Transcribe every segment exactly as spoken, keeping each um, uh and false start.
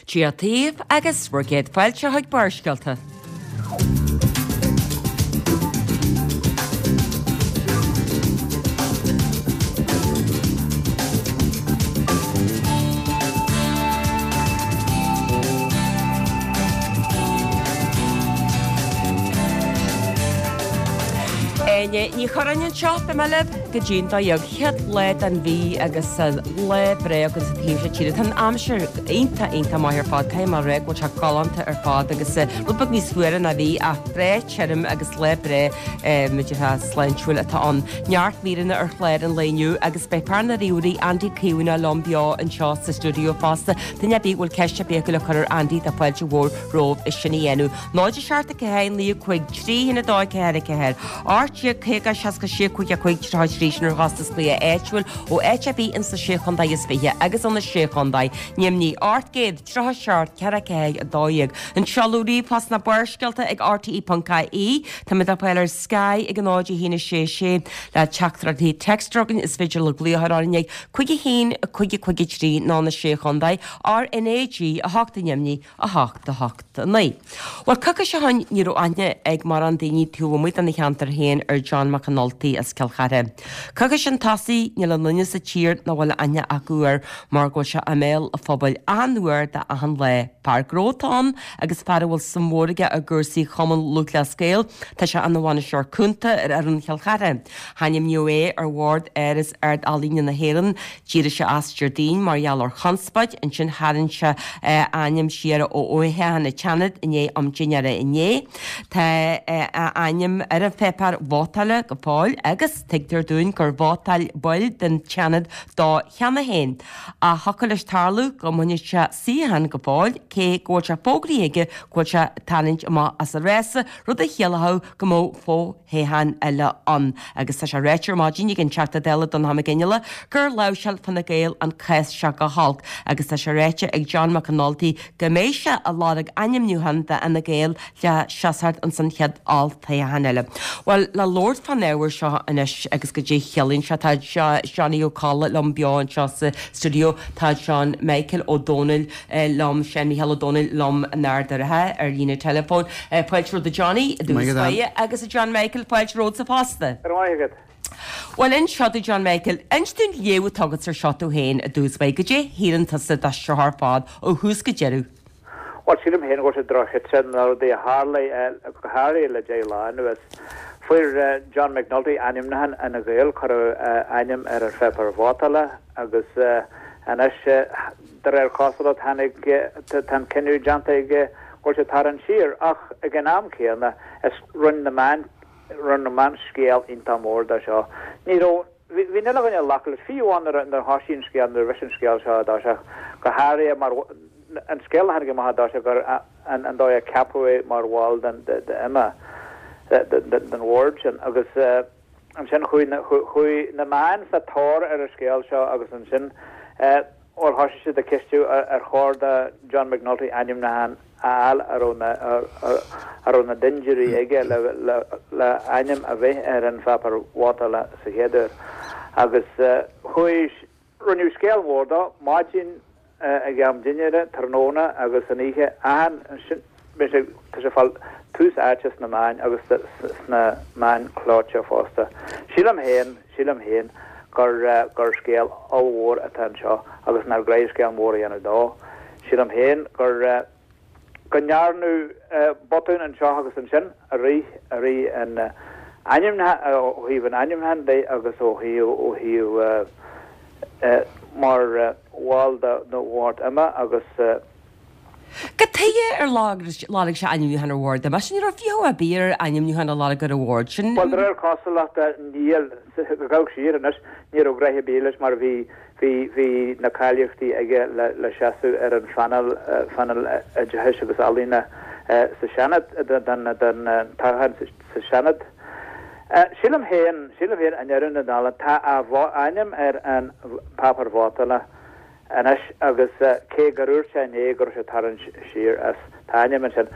Dia daoibh agus bhur gcéad fáilte chuig Barrscéalta. Áine Ní Churráin anseo, beidh mé libh go dtí an dó dhéag chéad lá den mhí agus lá breá againn sa taobh seo tíre. Tá an aimsir iontach iontach maith ar fad, caithfidh mé a rá go bhfuil sé galánta ar fad agus rud beag níos fuaire ná bhí ach breá tirim agus lá breá muideartha sláintiúil atá ann. Neart míreanna ar chlár an lae inniu agus beidh fear na ríomhairí Andy Caomhánach liom beo anseo sa stiúideo fosta. Duine ar bith a bhfuil ceist ar bith acu le cur ar Andy tá fáilte mhór romhaibh é sin a dhéanamh. Náid a seacht a ceathair naoi a cúig trí haon a dó ceathair a ceathair. Ocht déag caoga seasca sé cúig a cúig tríocha trí sin ar chostas glaoch áitiúil ó áit ar bith ins na sé chontae is fiche agus ó na sé chontae. Nimhní ocht gcéad tríocha seacht ceathair ceathair a dó dhéag. An seoladh ríomhphost ná Barrscéalta ag RTE ponc IE. Táimid le fáil ar Sky ag a náid a haon a sé sé le teachtaireachtaí téacs againn is féidir le glaoch ar orainn ag cúig a haon cúig a cúig a trí ná na sé chontae RnaG a hocht i nDoimní a hocht a hocht a naoi. Bhuel coicís ó shin ní raibh aithne ag mórán daoine taobh amuigh den cheantar féin ar John McAnulty as Cill Chartha. Coicís chun tosaigh níl aon duine sa tír nach bhfuil aithne acu air mar go bhfuil sé i mbéal an phobail achan uair de achan lá. Fear gnó atá ann agus fear a bhfuil suim mhór aige i gcúrsaí Chumann Lúthchleas Gael, tá sé ina bhainisteoir cúnta ar fhoireann Chill Chartha. Hainmníodh é ar bhord Áras Ard-Ealaíne na hÉireann, d'éirigh sé as Déardaoin mar gheall ar chonspóid, ansin tharraing sé a ainm siar ó fhothoghchán an tSeanaid i ndiaidh am dinnéara inné. Tá a ainm ar an pháipéar vótála go fóill agus tuigtear dúinn gur vótáil baill den tSeanad dó cheana féin. Ach thiocfadh leis tarlú go mbainfidh sé suíochán go fóill, cé go bhfuil sé fógraithe aige go bhfuil sé ag tarraingt amach as an rása, rud a chiallódh go mbeadh fothoghchán eile ann. Agus tá sé ráite ar maidin ag an Teachta Dála Donnchadh Mac Fhionnghaile gur láimhseáil Fine Gael an cás seo go holc agus tá sé ráite ag John McAnulty go mbeidh sé ag lorg ainmniúchán d'Fhine Gael le seasamh ins an chéad olltoghchán eile. Bhuel, le labhairt fán ábhar seo anois agus goidé a chiallaíonn sé, tá Johnny Ó Colla liom beo anseo sa stiúideo, tá Seán Michael Ó Dónaill liom, Seán Mícheál Ó Dónaill liom in Ard an Rátha ar líne teileafóin. Fáilte romhat a Johnny i dtús báire agus a John Michael, fáilte romhatsa fosta. Go raibh maith agat. Bhuel, inis domh John Michael, inis dúinn léamh atá agat ar seo tú féin i dtús báire, goidé a shíleann tusa de seo ar fad ó thús go deireadh. Bhuel, sílim féin go bhfuil sé drochíte na rudaí a tharla go háirithe le deich lá anuas. Fuair John McNulty ainmniúchán Fhine Gael, cuireadh a ainm ar an pháipéar vótála agus anois de réir cosúlacht tháinig tá an cinneadh déanta aige go bhfuil sé ag tarraingt siar ach ag an am céanna is rinne na meáin rinne na meáin scéal iontach mór de seo. Ní raibh bhí bhí an uile dhuine ag glacadh leis, fiú amháin nuair a nuair a thoisigh an scéal nuair a bhris an scéal seo i dtosach, go háirithe mar an scéal a tháinig amach i dtosach gur an an dóigh a ceapadh é mar bhall den de de IMA den bhord sin agus ansin chuaigh na chuaigh na meáin sa tóir ar an scéal seo agus ansin bhuel thoisigh siad ag ceistiú ar chóir do John McNulty ainmniúchán a fháil a raibh na a raibh na dindiúirí aige le le le ainm a bheith ar an pháipéar vótála sa chéad uair agus chuaigh rinneadh scéal mór dó maidin ag am dinnéara tráthnóna agus san oíche achan sin bhí sé tá sé ag fáil tús áite sna meáin agus sna meáin chlóite fosta. Sílim féin sílim féin gur gur scéal ollmhór atá anseo agus nár ghá scéal mór a dhéanamh dó. Sílim féin gur go ndearnadh botún anseo agus ansin i rith i rith an ainmnithe ó thaobh an ainmniúcháin de agus ó thaobh ó thaobh mar bhall de bhord IMA agus Cad chuige ar lorg sé ainmniúchán ar bhord IMA? Sin ní raibh fiachadh ar bith ar ainmniúchán a lorg ar an bhord sin. Bhuel, de réir cosúlachta níl, gabhadh siar anois, ní raibh gnoithe ar bith leis mar bhí, bhí, bhí na cáilíochtaí aige le, le seasamh ar an phainéal, phainéal oideachais agus ealaíona sa Seanad, don, don toghchán sa Seanad. Sílim féin, sílim féin i ndeireadh na dála, tá a ainm ar an bpáipéar vótála anois agus cé gur dhúirt sé inné go raibh sé ag tarraingt siar as, tá a ainm ansin.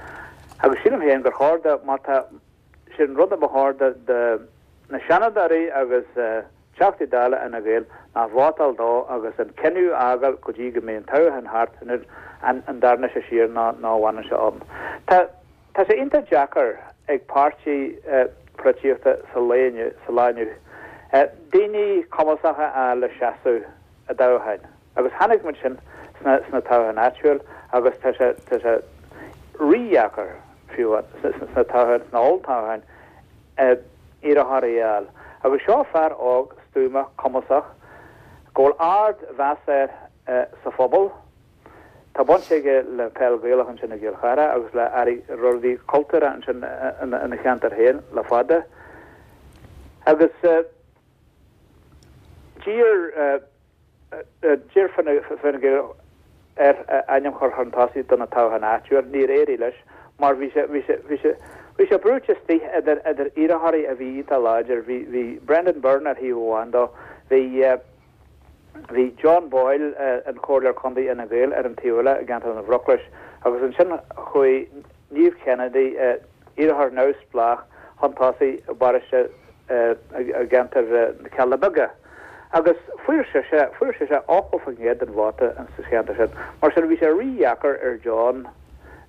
Agus sílim féin gur chóir do, má tá, sin rud a ba chóir do, do na Seanadóirí agus Teachtaí Dála Fhine Gael ná vótáil dó agus an cinneadh a fhágáil go dtí go mbeidh an toghchán thart an an dtarna sé siar ná ná bhaineann sé ann. Tá tá sé iontach deacair ag páirtí polaitíochta sa lá inniu sa lá inniu daoine cumasacha a fháil le seasamh i dtoghcháin. Agus chonaic muid sin sna sna toghcháin áitiúil agus tá sé tá sé rídheacair fiú sna toghcháin sna olltoghcháin iarrthóirí a fháil. Agus seo fear óg stuama cumasach go bhfuil ardmheas air sa phobal. Tá baint aige le peil Ghaelach ansin i gCill Chartha agus le rudaí cultúrtha ansin ina cheantar féin le fada. Agus d'iarr d'iarr Fine Gael air a ainm a chur chun tosaigh do na toghcháin áitiúil, níor éirigh leis mar bhí sé bhí sé bhí sé bhí sé brúite istigh idir idir iarrthóirí a bhí iontach láidir. Bhí bhí Brendan Byrne ar thaobh amháin dó, bhí bhí John Boyle an Comhairleoir Contae Fhine Gael ar an taobh eile i gceantar na Bhruclais agus ansin chuaigh Niamh Kennedy iarrthóir neamhspleách chun tosaigh i bparóiste i gceantar na Cealla Beaga. Agus fuair sise fuair sise ochtó faoin gcéad den vóta sa cheantar sin. Mar sin bhí sé rídheacair ar John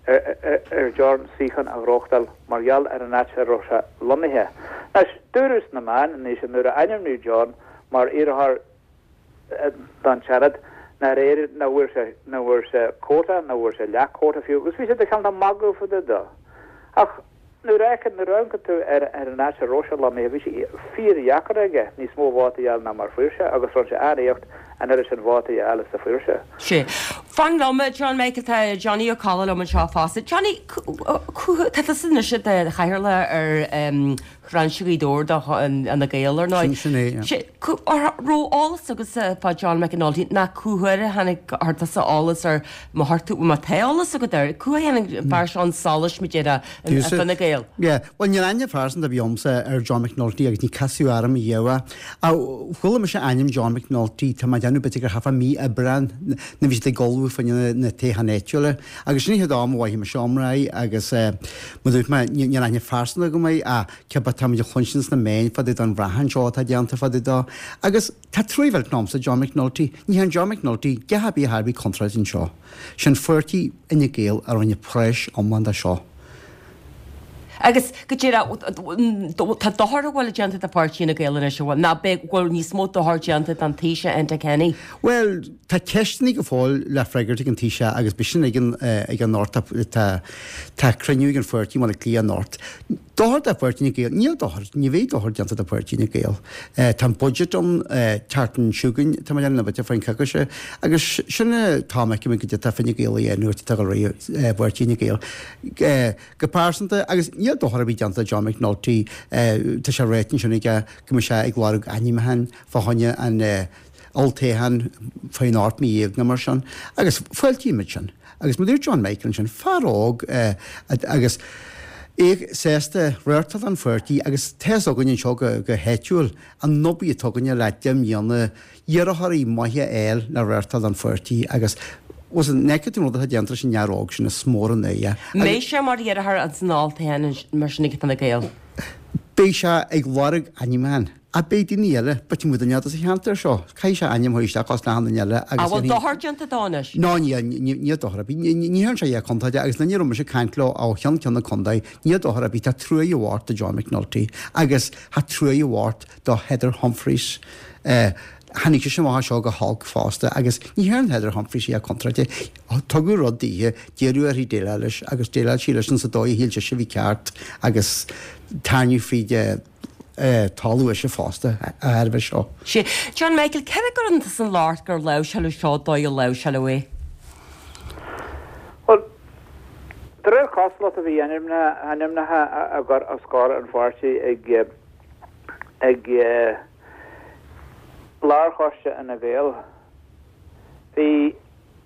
ar John suíochán a ghnóthachtáil mar gheall ar an áit a raibh sé lonnaithe. Anois, dúradh sna meáin anois nuair a ainmníodh John mar iarrthóir don Seanad nár éirigh nach bhfuair sé nach bhfuair sé quota, nach bhfuair sé leath-quota fiú, agus bhí siad ag cineál magadh fá dtaobh de. Ach nuair a fheiceann, nuair a amharcann tú ar ar an áit a raibh sé lonnaithe, bhí sé fíordheacair aige níos mó vótaí a fháil ná mar fuair sé agus rinne sé an-éacht an oiread sin vótaí a fháil is a fuair sé. Sea. Fan liom, John Michael, tá Johnny Ó Colla liom anseo fosta. Johnny, tá tusa anois i do chathaoirleach ar Bhrainse Ghaoth Dobhair do Fhine Gael, ar ndóigh. Sin é, yeah. Sea, raibh eolas agatsa fá John McAnulty ná cá huair a tháinig chuir tusa eolas air má chuir tú, má tá eolas agat air, cá huair a tháinig an fear seo chun solais, mar a déarfá, i Fine Gael? Yeah, bhuel níl aithne phearsanta ar bith agamsa ar John McNulty agus ní casadh orm riamh é. Ach chuala mise ainm John McNulty, tá mé ag déanamh b'fhéidir gur thart fá mí Aibreán nuair bhí siad ag ullmhú fá choinne na toghcháin áitiúla agus sin an chéad am a mhothaigh mise iomrá air agus mar a dúirt mé níl aithne phearsanta agam air ach cibé tá muid ag cluinstin sna meáin fá dtaobh den bhrachán seo atá déanta fá dtaobh dó agus tá truaí mhillteanach a'msa John McNulty. Ní hé an John McNulty a dhath ar bith a bhí contráilte anseo. Sin pháirtí Fhine Gael a rinne práis iomlán de seo. Agus go díreach, tá dochar a bhfuil déanta do pháirtí Fhine Gael anois, an bhfuil? Ná beidh, bhfuil níos mó dochar déanta don Taoiseach Enda Kenny? Bhuel, tá ceisteanna go fóill le freagairt ag an Taoiseach agus beidh sin ag an, ag an anocht, tá, tá cruinniú ag an pháirtí i mBaile Átha Cliath anocht. Dochar do pháirtí Fhine Gael? Níl dochar, ní bheidh dochar déanta do pháirtí Fhine Gael. Tá an budget ann, tseachtain seo chugainn, tá mé ag déanamh, nó b'fhéidir faoin coicíse, agus sin an t-am a fheicfimid goidé atá Fine Gael a dhéanamh, atá ag dul ar aghaidh pháirtí Fhine Gael. Go pearsanta, agus níl dochar ar bith déanta do John McNulty, tá sé ráite ansin aige go mbeidh sé ag lorg ainmniúcháin fá choinne an olltoghcháin faoin ocht mí dhéag nó mar sin, agus fáiltímid sin. Agus mar a dúirt John Michael ansin, fear óg agus é sásta reáchtáil don pháirtí agus tá fhios againn anseo go háitiúil an obair atá againne le deich mbliana iarrthóirí maithe a fháil le reáchtáil don pháirtí agus bhuel an bhfeiceann tú an rud atá déanta leis an fhear óg sin is mór an ádh é. Mbeidh sé mar iarrthóir ins an olltoghchán mar sin ag Fine Gael? Beidh sé ag lorg ainmniúcháin. Ach beidh daoine eile, b'fhéidir muid duine sa cheantar seo, caithfidh sé ainm a chur isteach os achan duine eile agus. An bhfuil dochar déanta dó anois? Ná níl, níl dochar ar bith. Ní dhearna sé a dhath contráilte agus na ní raibh mise ag caint leo ó cheann ceann na contae, níl dochar ar bith, tá truaighe mhór do John McNulty agus tá truaighe mhór do Heather Humphreys. Tháinig sise amach as seo go holc fosta agus ní dhearna Heather Humphreys a dhath contráilte. Tugadh rud dithe, d'iarradh uirthi déileáil leis agus dhéileáil sí leis sa dóigh a shíl sise a bhí ceart agus tarraingíodh fríd talamh ise fosta a thairbhe seo. Sea. John Michael, cé a gcuireann tusa an locht gur láimhseáladh seo dóigh a láimhseáladh é? Bhuel, de réir cosúlachta bhí ainmneacha á gcur os comhair an pháirtí ag ag Lárchoiste Fhine Gael. Bhí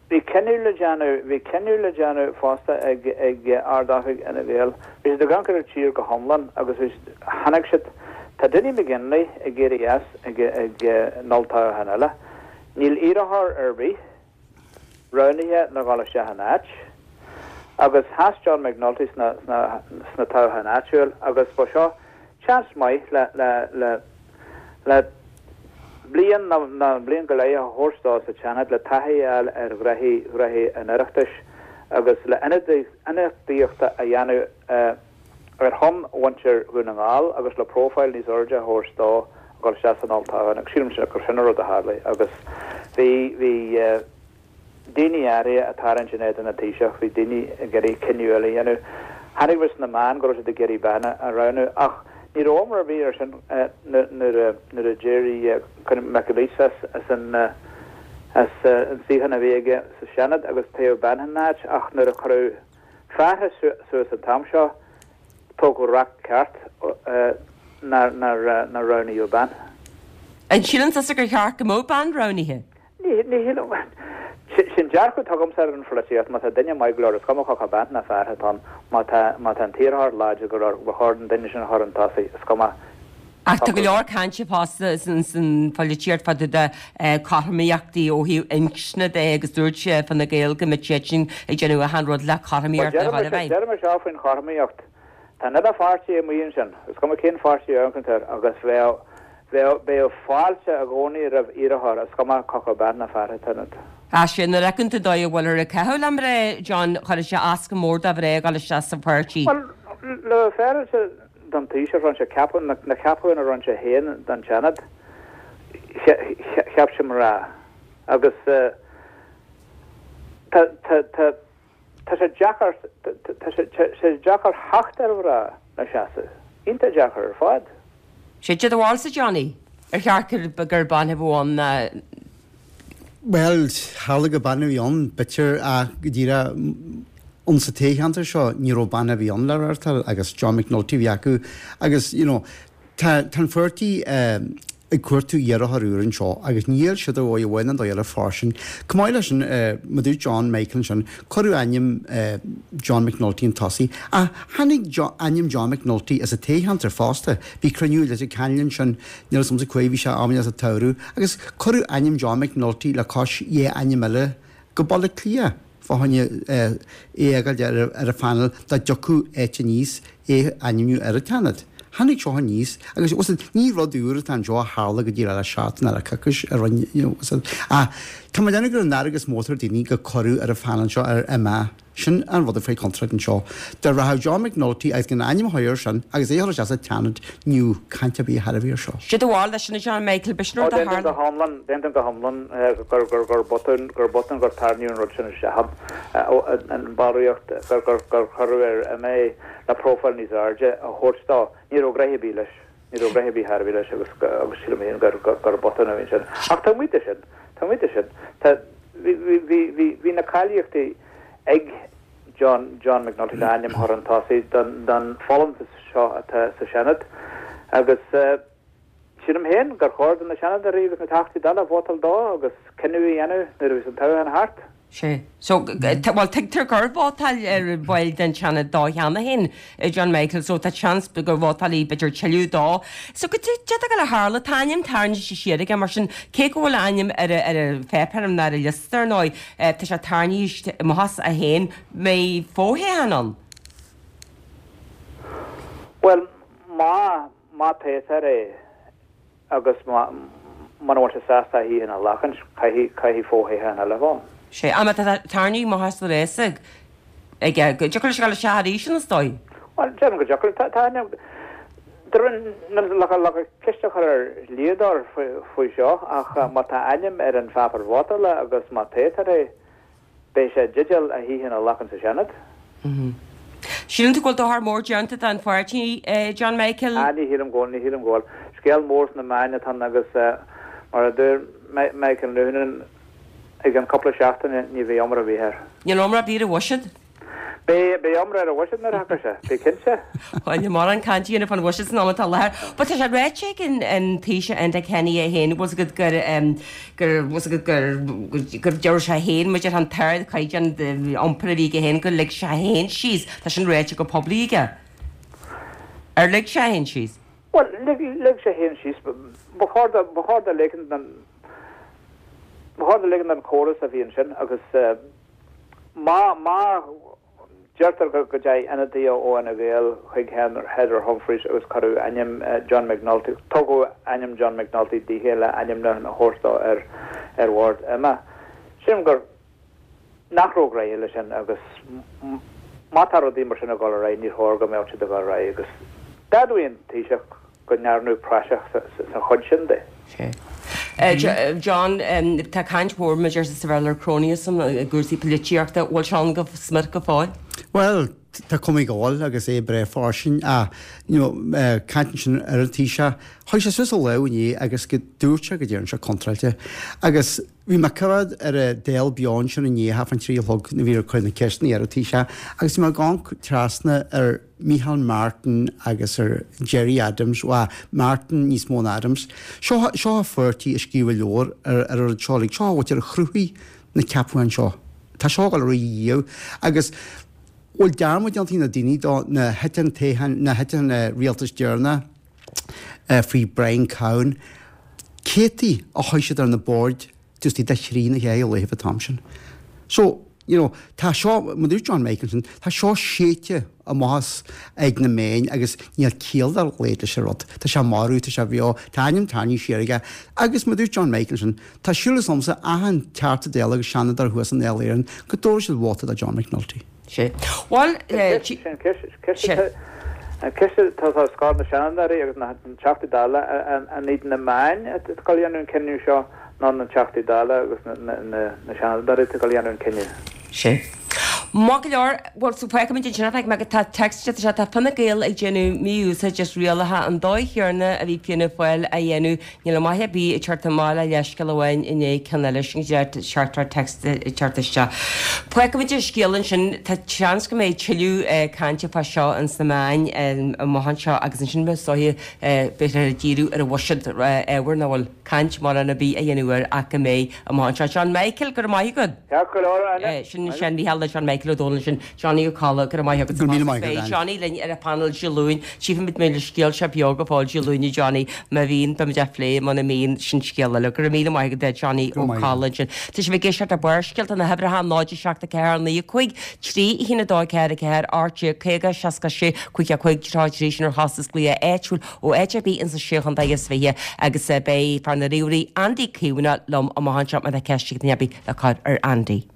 Bhí cinneadh le déanamh, bhí cinneadh le déanamh fosta ag ag Ard-Oifig Fhine Gael. Bhí siad ag amharc ar an tír go hiomlán agus bhí siad, chonaic siad, tá Dinny McGinley ag éirí as ag ag an olltoghchán eile. Níl iarrthóir ar bith roghnaithe le dhul isteach ina áit. Agus sheas John McNulty sna sna sna toghcháin áitiúil agus ba seo seans maith le le le le Bliain nó bliain go leith a thabhairt dó sa tSeanad le taithí a fháil ar ghnoithí ghnoithí an Oireachtais agus le ionadaíocht a dhéanamh ar shon mhuintir Dhún na nGall agus le profile níos airde a thabhairt dó a dhul isteach san olltoghchán agus sílimse gur sin an rud a tharlaigh agus bhí bhí daoine áirithe ag tarraingt in éadan an Taoiseach, bhí daoine ag iarraidh cinneadh eile a dhéanamh. Chonaic muid sna meáin go raibh siad ag iarraidh bean a roghnú ach ní raibh iomrá ar bith air sin nuair a d'éirigh McAleese as an as an suíochán a bhí aige sa Seanad agus toghadh bean ina áit ach nuair a cuireadh fear suas an t-am seo, tógadh raic ceart nár roghnaíodh bean. An síleann tusa gur cheart go mbeadh bean roghnaithe? Ní shílim. Sin dearcadh atá agamsa ar an pholaitíocht, má tá duine maith go leor, is cuma cé acu bean nó fear atá ann, má tá má tá an t-iarrthóir láidir go leor, ba chóir an duine sin a chur chun tosaigh, is cuma Ach tá go leor cainte fosta san pholaitíocht fá dtaobh de cothromaíochtaí ó thaobh inscne de agus dúirt Fine Gael go mbeadh siadsan ag déanamh achan rud le cothromaíocht a chur i bhfeidhm. Deirim seo faoin chothromaíocht. Tá an uile pháirtí amuigh ansin, is cuma cén pháirtí a amharcann tú air, agus bheadh bheadh bheadh fáilte i gcónaí roimh iarrthóir, is cuma cé acu bean nó fear atá ionat. Ach sin, nuair a fheiceann tú an dóigh a bhfuilthear ag caitheamh le mná, John, chuirfeadh sé as go mór do mhná a dhul isteach sa pháirtí. Bhuel, le bheith féaráilte don Taoiseach, rinne sé ceapadh, na ceapacháin a rinne sé féin don Seanad, cheap sé mná. Agus tá tá tá tá sé deacair tá sé sé deacair theacht ar mhná le seasamh. Iontach deacair ar fad. Sé do bharúilsa, Johnny, ar cheart gur bean a bheadh ann? Bhuel, tharla gur bean a bhí ann, b'fhéidir, ach go díreach ann sa toghcheantar seo ní raibh bean ar bith ann le reáchtáil agus John McNulty a bhí acu agus you know tá tá an pháirtí ag cuartú iarrthóir úr anseo agus níl siad ar dhóigh amháin nó dóigh eile fairsing. Chomh maith leis sin, mar a dúirt John Michael ansin, cuireadh ainm John McNulty chun tosaigh ach tháinig ainm John McNulty as an toghcheantar fosta. Bhí cruinniú i Leitir Ceanainn ansin, níl 'fhios a'msa cá huair, bhí sé am sa tsamhradh, agus cuireadh ainm John McNulty le cois dhá ainm eile go Baile Átha Cliath fá choinne é a fhágáil ar an phainéal dá dtiocfadh áit aníos é a ainmniú ar an tSeanad. Tháinig seo aníos agus bhfuil 'fhios a'd, ní rud úr atá anseo a tharla go díreach le seachtain nó le coicís a rinne, you know, bhfuil 'fhios a'd. Ach tá mé ag déanamh gur an fhearg is mó atá ar daoine gur cuireadh ar an phainéal seo ar MA. Sin an rud a faoi chontúirt anseo. Dá rachadh John McNulty agus gan a ainm a chur air sin agus é a chur isteach sa tSeanad, ní bheadh caint ar bith ar bith air seo. Cad é do bharúil leis sin, a John Michael, b'shin rud a tharla. D'aontaím go hiomlán, d'aontaím go hiomlán gur, gur, gur botún, gur botún gur tarraingíodh an rud sin isteach ann, an ballraíocht, gur, gur, gur cuireadh ar MA le profile níos airde a thabhairt dó. Ní raibh gnoithe ar bith leis. Ní raibh gnoithe ar bith thar a bheith leis agus, agus sílim féin gur, gur, gur botún a bhí ansin. Ach taobh amuigh de sin, taobh amuigh de sin, tá, bhí, bhí, bhí, bhí, bhí na cáilíochtaí ag John, John McNulty le ainm a chur chun tosaigh don, don folúntas seo atá sa Seanad agus sílim féin gur chóir do na Seanadóirí agus na Teachtaí Dála vótáil dó agus cinneadh a dhéanamh nuair a bheas an toghchán thart. Sea. So, bhuel, tuigtear gur vótáil baill den Seanad dó cheana féin, John Michael, so tá seans gur vótálfaidh b'fhéidir tuilleadh dó. So, cad é a d'fhéadfadh a tharla? Tá a ainm tarraingthe siar aige, mar sin, cé go bhfuil a ainm ar an pháipéar nó ar an liosta, ar ndóigh, tá sé tarraingthe amach as é féin, mbeidh foshuíochán ann? Bhuel, má, má toghtar é agus má, muna bhfuil sé sásta a shuíochán a ghlacaint, caithfidh, caithfidh foshuíochán eile a bheith ann. Sea, ach má tá tarraingthe amach as an rás aige, go dtiocfadh leis a ghabháil isteach arís an, is dóigh? Bhuel, déarfainn go dtiocfadh. Tá, tá, le ceist a chur ar dhlíodóir faoi seo ach má tá a ainm ar an pháipéar vótála agus má toghtar é, beidh sé i dteideal a shuíochán a ghlacadh sa Seanad. Síleann tú go bhfuil dochar mór déanta don pháirtí, John Michael? Ah, ní shílim go bhfuil, ní shílim go bhfuil. Scéal mór sna meáin atá ann agus mar a dúirt Michael Noonan i gceann cúpla seachtaine ní bheidh iomrá ar bith air. Níl iomrá ar bith ar an bhuiséad. Beidh, beidh iomrá ar an bhuiséad nuair a thiocfaidh sé, bí cinnte. Bhuel, níl mórán cainte a dhéanamh fán bhuiséad san am atá i láthair. But tá sé ráite ag an, an Taoiseach Enda Kenny é féin, bhfuil 's agat gur, gur, bhfuil 's agat gur, gur deir sé féin, maidir an t-ardchaighdeán iompair a bhí aige féin, gur lig sé féin síos. Tá sin ráite go poiblí aige. Ar lig sé féin síos? Bhuel, lig, lig sé féin síos. Ba chóir do, ba chóir do ligean don, ba chóir do ligean don chóras a bhí ansin agus má, má Deirtear go go dteachaigh ionadaithe ó Fhine Gael chuig Heather Humphreys agus cuireadh ainm John McNulty, tugadh ainm John McNulty dithe le ainmniúchán a thabhairt dó ar ar bhord IMA. Sílim gur nach raibh réidh leis sin agus má tá rudaí mar sin ag dul ar aghaidh ní chóir go mbeadh siad ag dul ar aghaidh agus d'admhaigh an Taoiseach go ndearnadh praiseach sa chuid sin de. John, tá caint mhór maidir sa Bhéarla ar cronyism i gcúrsaí polaitíochta, bhfuil sé ann go smior go fóill? Well, tá cuma go bhfuil agus é breá fairsing ach you know, caint ansin ar an Taoiseach, chuaigh sé suas a lámh inné agus go dúirt sé go dtéann sé contráilte. Agus bhí mé curad ar an Dáil beo ansin inné half an trí a chlog nuair a bhí ar cur na ceisteanna ar an Taoiseach agus bhí mé ag amharc trasna ar Micheál Martin agus ar Gerry Adams, well, Martin níos mó ná Adams. Seo seo pháirtí a scríobh leabhar ar ar an rud seo, like, seo a bhfuil a chruthaigh na ceapacháin seo. Tá seo ag dul ar aghaidh agus bhfuil dearmad déanta na daoine do na thit an toghchán na thit an rialtas deireanach faoi Brian Cowen céadtaí a chuaigh siad ar na boird just iad a thrí na chéad laetha an t-am sin. So, you know, tá seo, mar dúirt John Michael, tá seo séidte amach as ag na meáin agus níl ciall dá laghad leis an rud. Tá sé marbh, tá sé beo, tá ainm tarraingthe siar aige agus mar dúirt John Michael, tá súil agamsa achan Teachta Dála agus Seanadóir thuas in Dáil Éireann go dtabharfaidh siad vóta do John McNulty. Sé. Bhuel, An ceist atá os comhair na Seanadóirí agus na Teachtaí Dála an iad na meáin atá ag dul a dhéanamh an cinneadh seo nó na Teachtaí Dála agus na Seanadóirí atá ag dul a dhéanamh an cinneadh. Sé. Maith go leor, bhuel, so feicimid ansin, feicim go tá text tá sé tá Fine Gael ag déanamh mí-úsáid as rialacha an dóigh chéanna a bhí Fianna Fáil á dhéanamh, níl maith ar bith ag teacht amach le leithscéal amháin i ndiaidh ceann eile sin teachtaireacht text ag teacht isteach. Feicimid an scéal ansin, tá seans go mbeidh tuilleadh cainte fá seo ins na meáin amach anseo agus ansin beidh sóithe b'fhéidir ag díriú ar an bhuiséad ábhar nach bhfuil caint mórán ar bith a dhéanamh air ach go mbeidh amach anseo. John Michael, go raibh maith agat. Ceart go leor, Áine. Sin sin Mícheál le John Michael Ó Dónaill sin Johnny Ó Colla, go raibh maith agat. Go raibh míle maith agat, Beidh Áine. Johnny linn ar an phainéal Dé Luain. Tchífimid mé le scéal seo beo go fóill Dé Luain Johnny má bhíonn beimid á phlé muna mbíonn sin scéal eile. Go raibh míle maith agat Johnny Go Ó raibh maith Colla ansin. Tá sibh ag éisteacht le Barrscéalta na huimhreacha náid seacht a ceathair naoi a cúig trí a haon a dó ceathair a ceathair ocht déag caoga seasca sé cúig a cúig tríocha trí sin ar chostas glaoch áitiúil ó áit ar bith insa sé chontae is fiche agus eh, beidh fear na ríomhairí Andy Caomhánach liom amach anseo má tá ceist ag duine ar bith le cur ar Andy.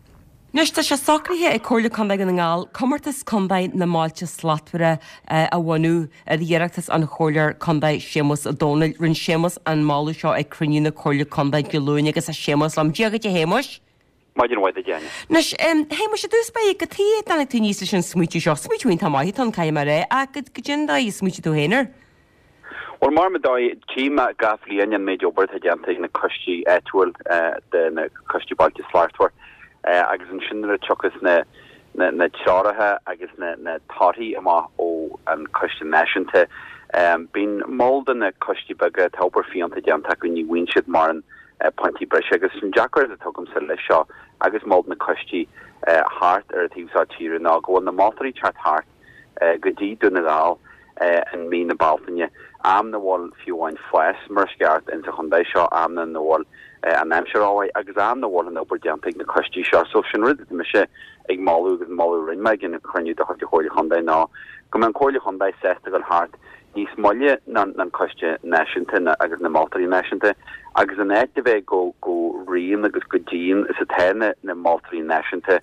Anois tá sé socraithe ag Comhairle Contae Dhún na nGall comórtas Contae na mBailte Slachtmhara eh, a bhunú ar iarratas an Chomhairleoir Contae Séamus Ó Domhnaill. Rinne Séamus an moladh seo ag cruinniú na Comhairle Contae Dé Luain agus a Séamus liom. Dia dhuit a Shéamuis. Maidin mhaith duit Áine. Anois um, Shéamuis i dtús báire cad chuige a dtáinig tú aníos leis an smaoitiú seo, smaoitiú iontach maith atá ann caithfidh mé a rá ach go go dtí dóigh a smaoitigh tú féin air. Well mar dóigh tchím gach bliain an méid obair atá déanta ag na coistí áitiúil de na coistí Bailte Slachtmhara agus ansin nuair a thiocfas na na, na treoracha agus na, na torthaí amach ó an coiste náisiúnta. Um, Bíonn mol de na coistí beaga tá obair fiúntach déanta acu ní bhíonn siad mar an uh, pointí breise agus sin deacair a tugamsa leis seo agus mol na coistí uh, thart ar an taobh seo tíre ná go bhfuil na moltóirí teacht thart uh, go dtí Dún na nGall uh, in mí na Bealtaine am na bhfuil fiú amháin fás mar sceart in sa chontae seo am na bhfuil uh, an aimsir áhaid agus am na bhfuil an obair déanta ag na coistí seo so sin rud mise ag moladh agus moladh rinne mé ag an chruinniú de chuid Chomhairle Chontae ná go mbeidh an Chomhairle Chontae sásta dul thart níos moille ná an coiste náisiúnta na, agus na moltóirí náisiúnta agus an áit a bheith go go rian agus go dian is atá na, na moltóirí náisiúnta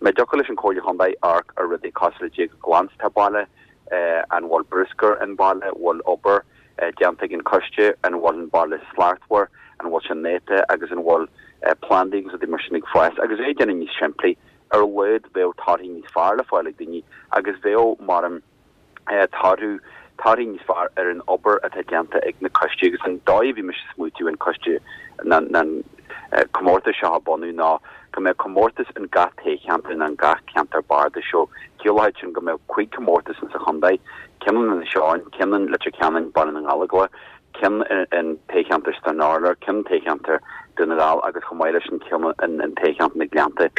Me dtiocfadh leis an Chomhairle Chontae amharc ar rudaí cosúil le cé chomh glan is atá baile uh, an bhfuil bruscar an baile bhfuil obair uh, déanta ag an coiste an bhfuil an baile slachtmhar an bhfuil sin néata agus an bhfuil uh, plandaí agus mar sin ag fás agus é déanamh níos simplí ar a laghad bheadh torthaí níos fearr le fáil ag daoine agus bheadh mar an uh, torthaí torthaí níos fearr ar an obair atá déanta ag na coistí agus an dóigh bhí mise smaoitiú an coiste na na uh, comórtas seo a bunú ná go mbeadh comórtas in gach toghcheantar in an gach ceantar bardais seo ciallaíonn sin go mbeadh cúig comórtas in sa chontae ceann in Seáin ceann in Leitir Ceanainn Baile na nGallóglach ceann in toghcheantar Stranorlar ceann toghcheantar Dún na nGall agus chomh maith leis an ceann in in toghcheantar na Gleannta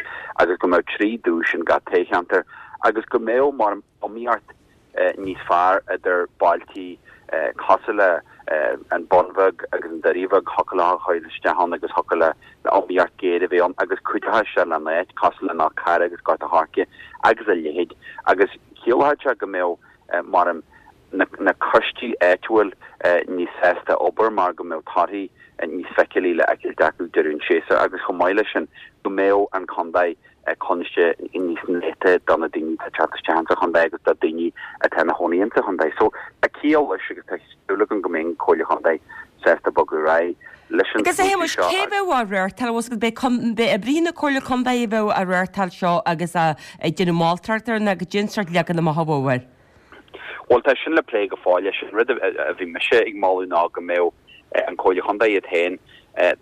agus go mbeadh trí duais in gach toghcheantar agus go mbeadh mar iomaíocht uh, níos fearr idir bailtí uh, cosúil le uh, an Bun Bheag agus an Doire Bheag thiocfadh a chur isteach ann agus thiocfadh le iomaíocht géar a bheith ann agus cuideoidh sé le áit cosúil le ná Cara agus Gort an Choirce agus a leithéid Agus chiallódh sé go mbeadh maram na, na coistí áitiúil níos sásta obair mar go mbeadh torthaí níos feiceálaí le fheiceáilt acu deireadh an tséasúir agus chomh maith leis sin go mbeadh an contae coinnte níos néata do na daoine atá ag teacht isteach sa chontae agus do daoine atá ina chónaí sa chontae. So tá ciall leis agus tá súil agam go mbeidh an Chomhairle Chontae sásta bogadh ar aghaidh leis an Agus a smaoitiú Shéamais, seo cé bheadh á reáchtáil bhfuil fhios agat beidh oibrithe na Comhairle Contae a bheadh á reáchtáil seo agus a ag déanamh moltóireacht air nó goidé an sórt leagan amach a bheadh air. Bhuel tá sin le plé go fóill leis an rud a bhí mise ag moladh ná go mbeadh an Chomhairle Chontae iad féin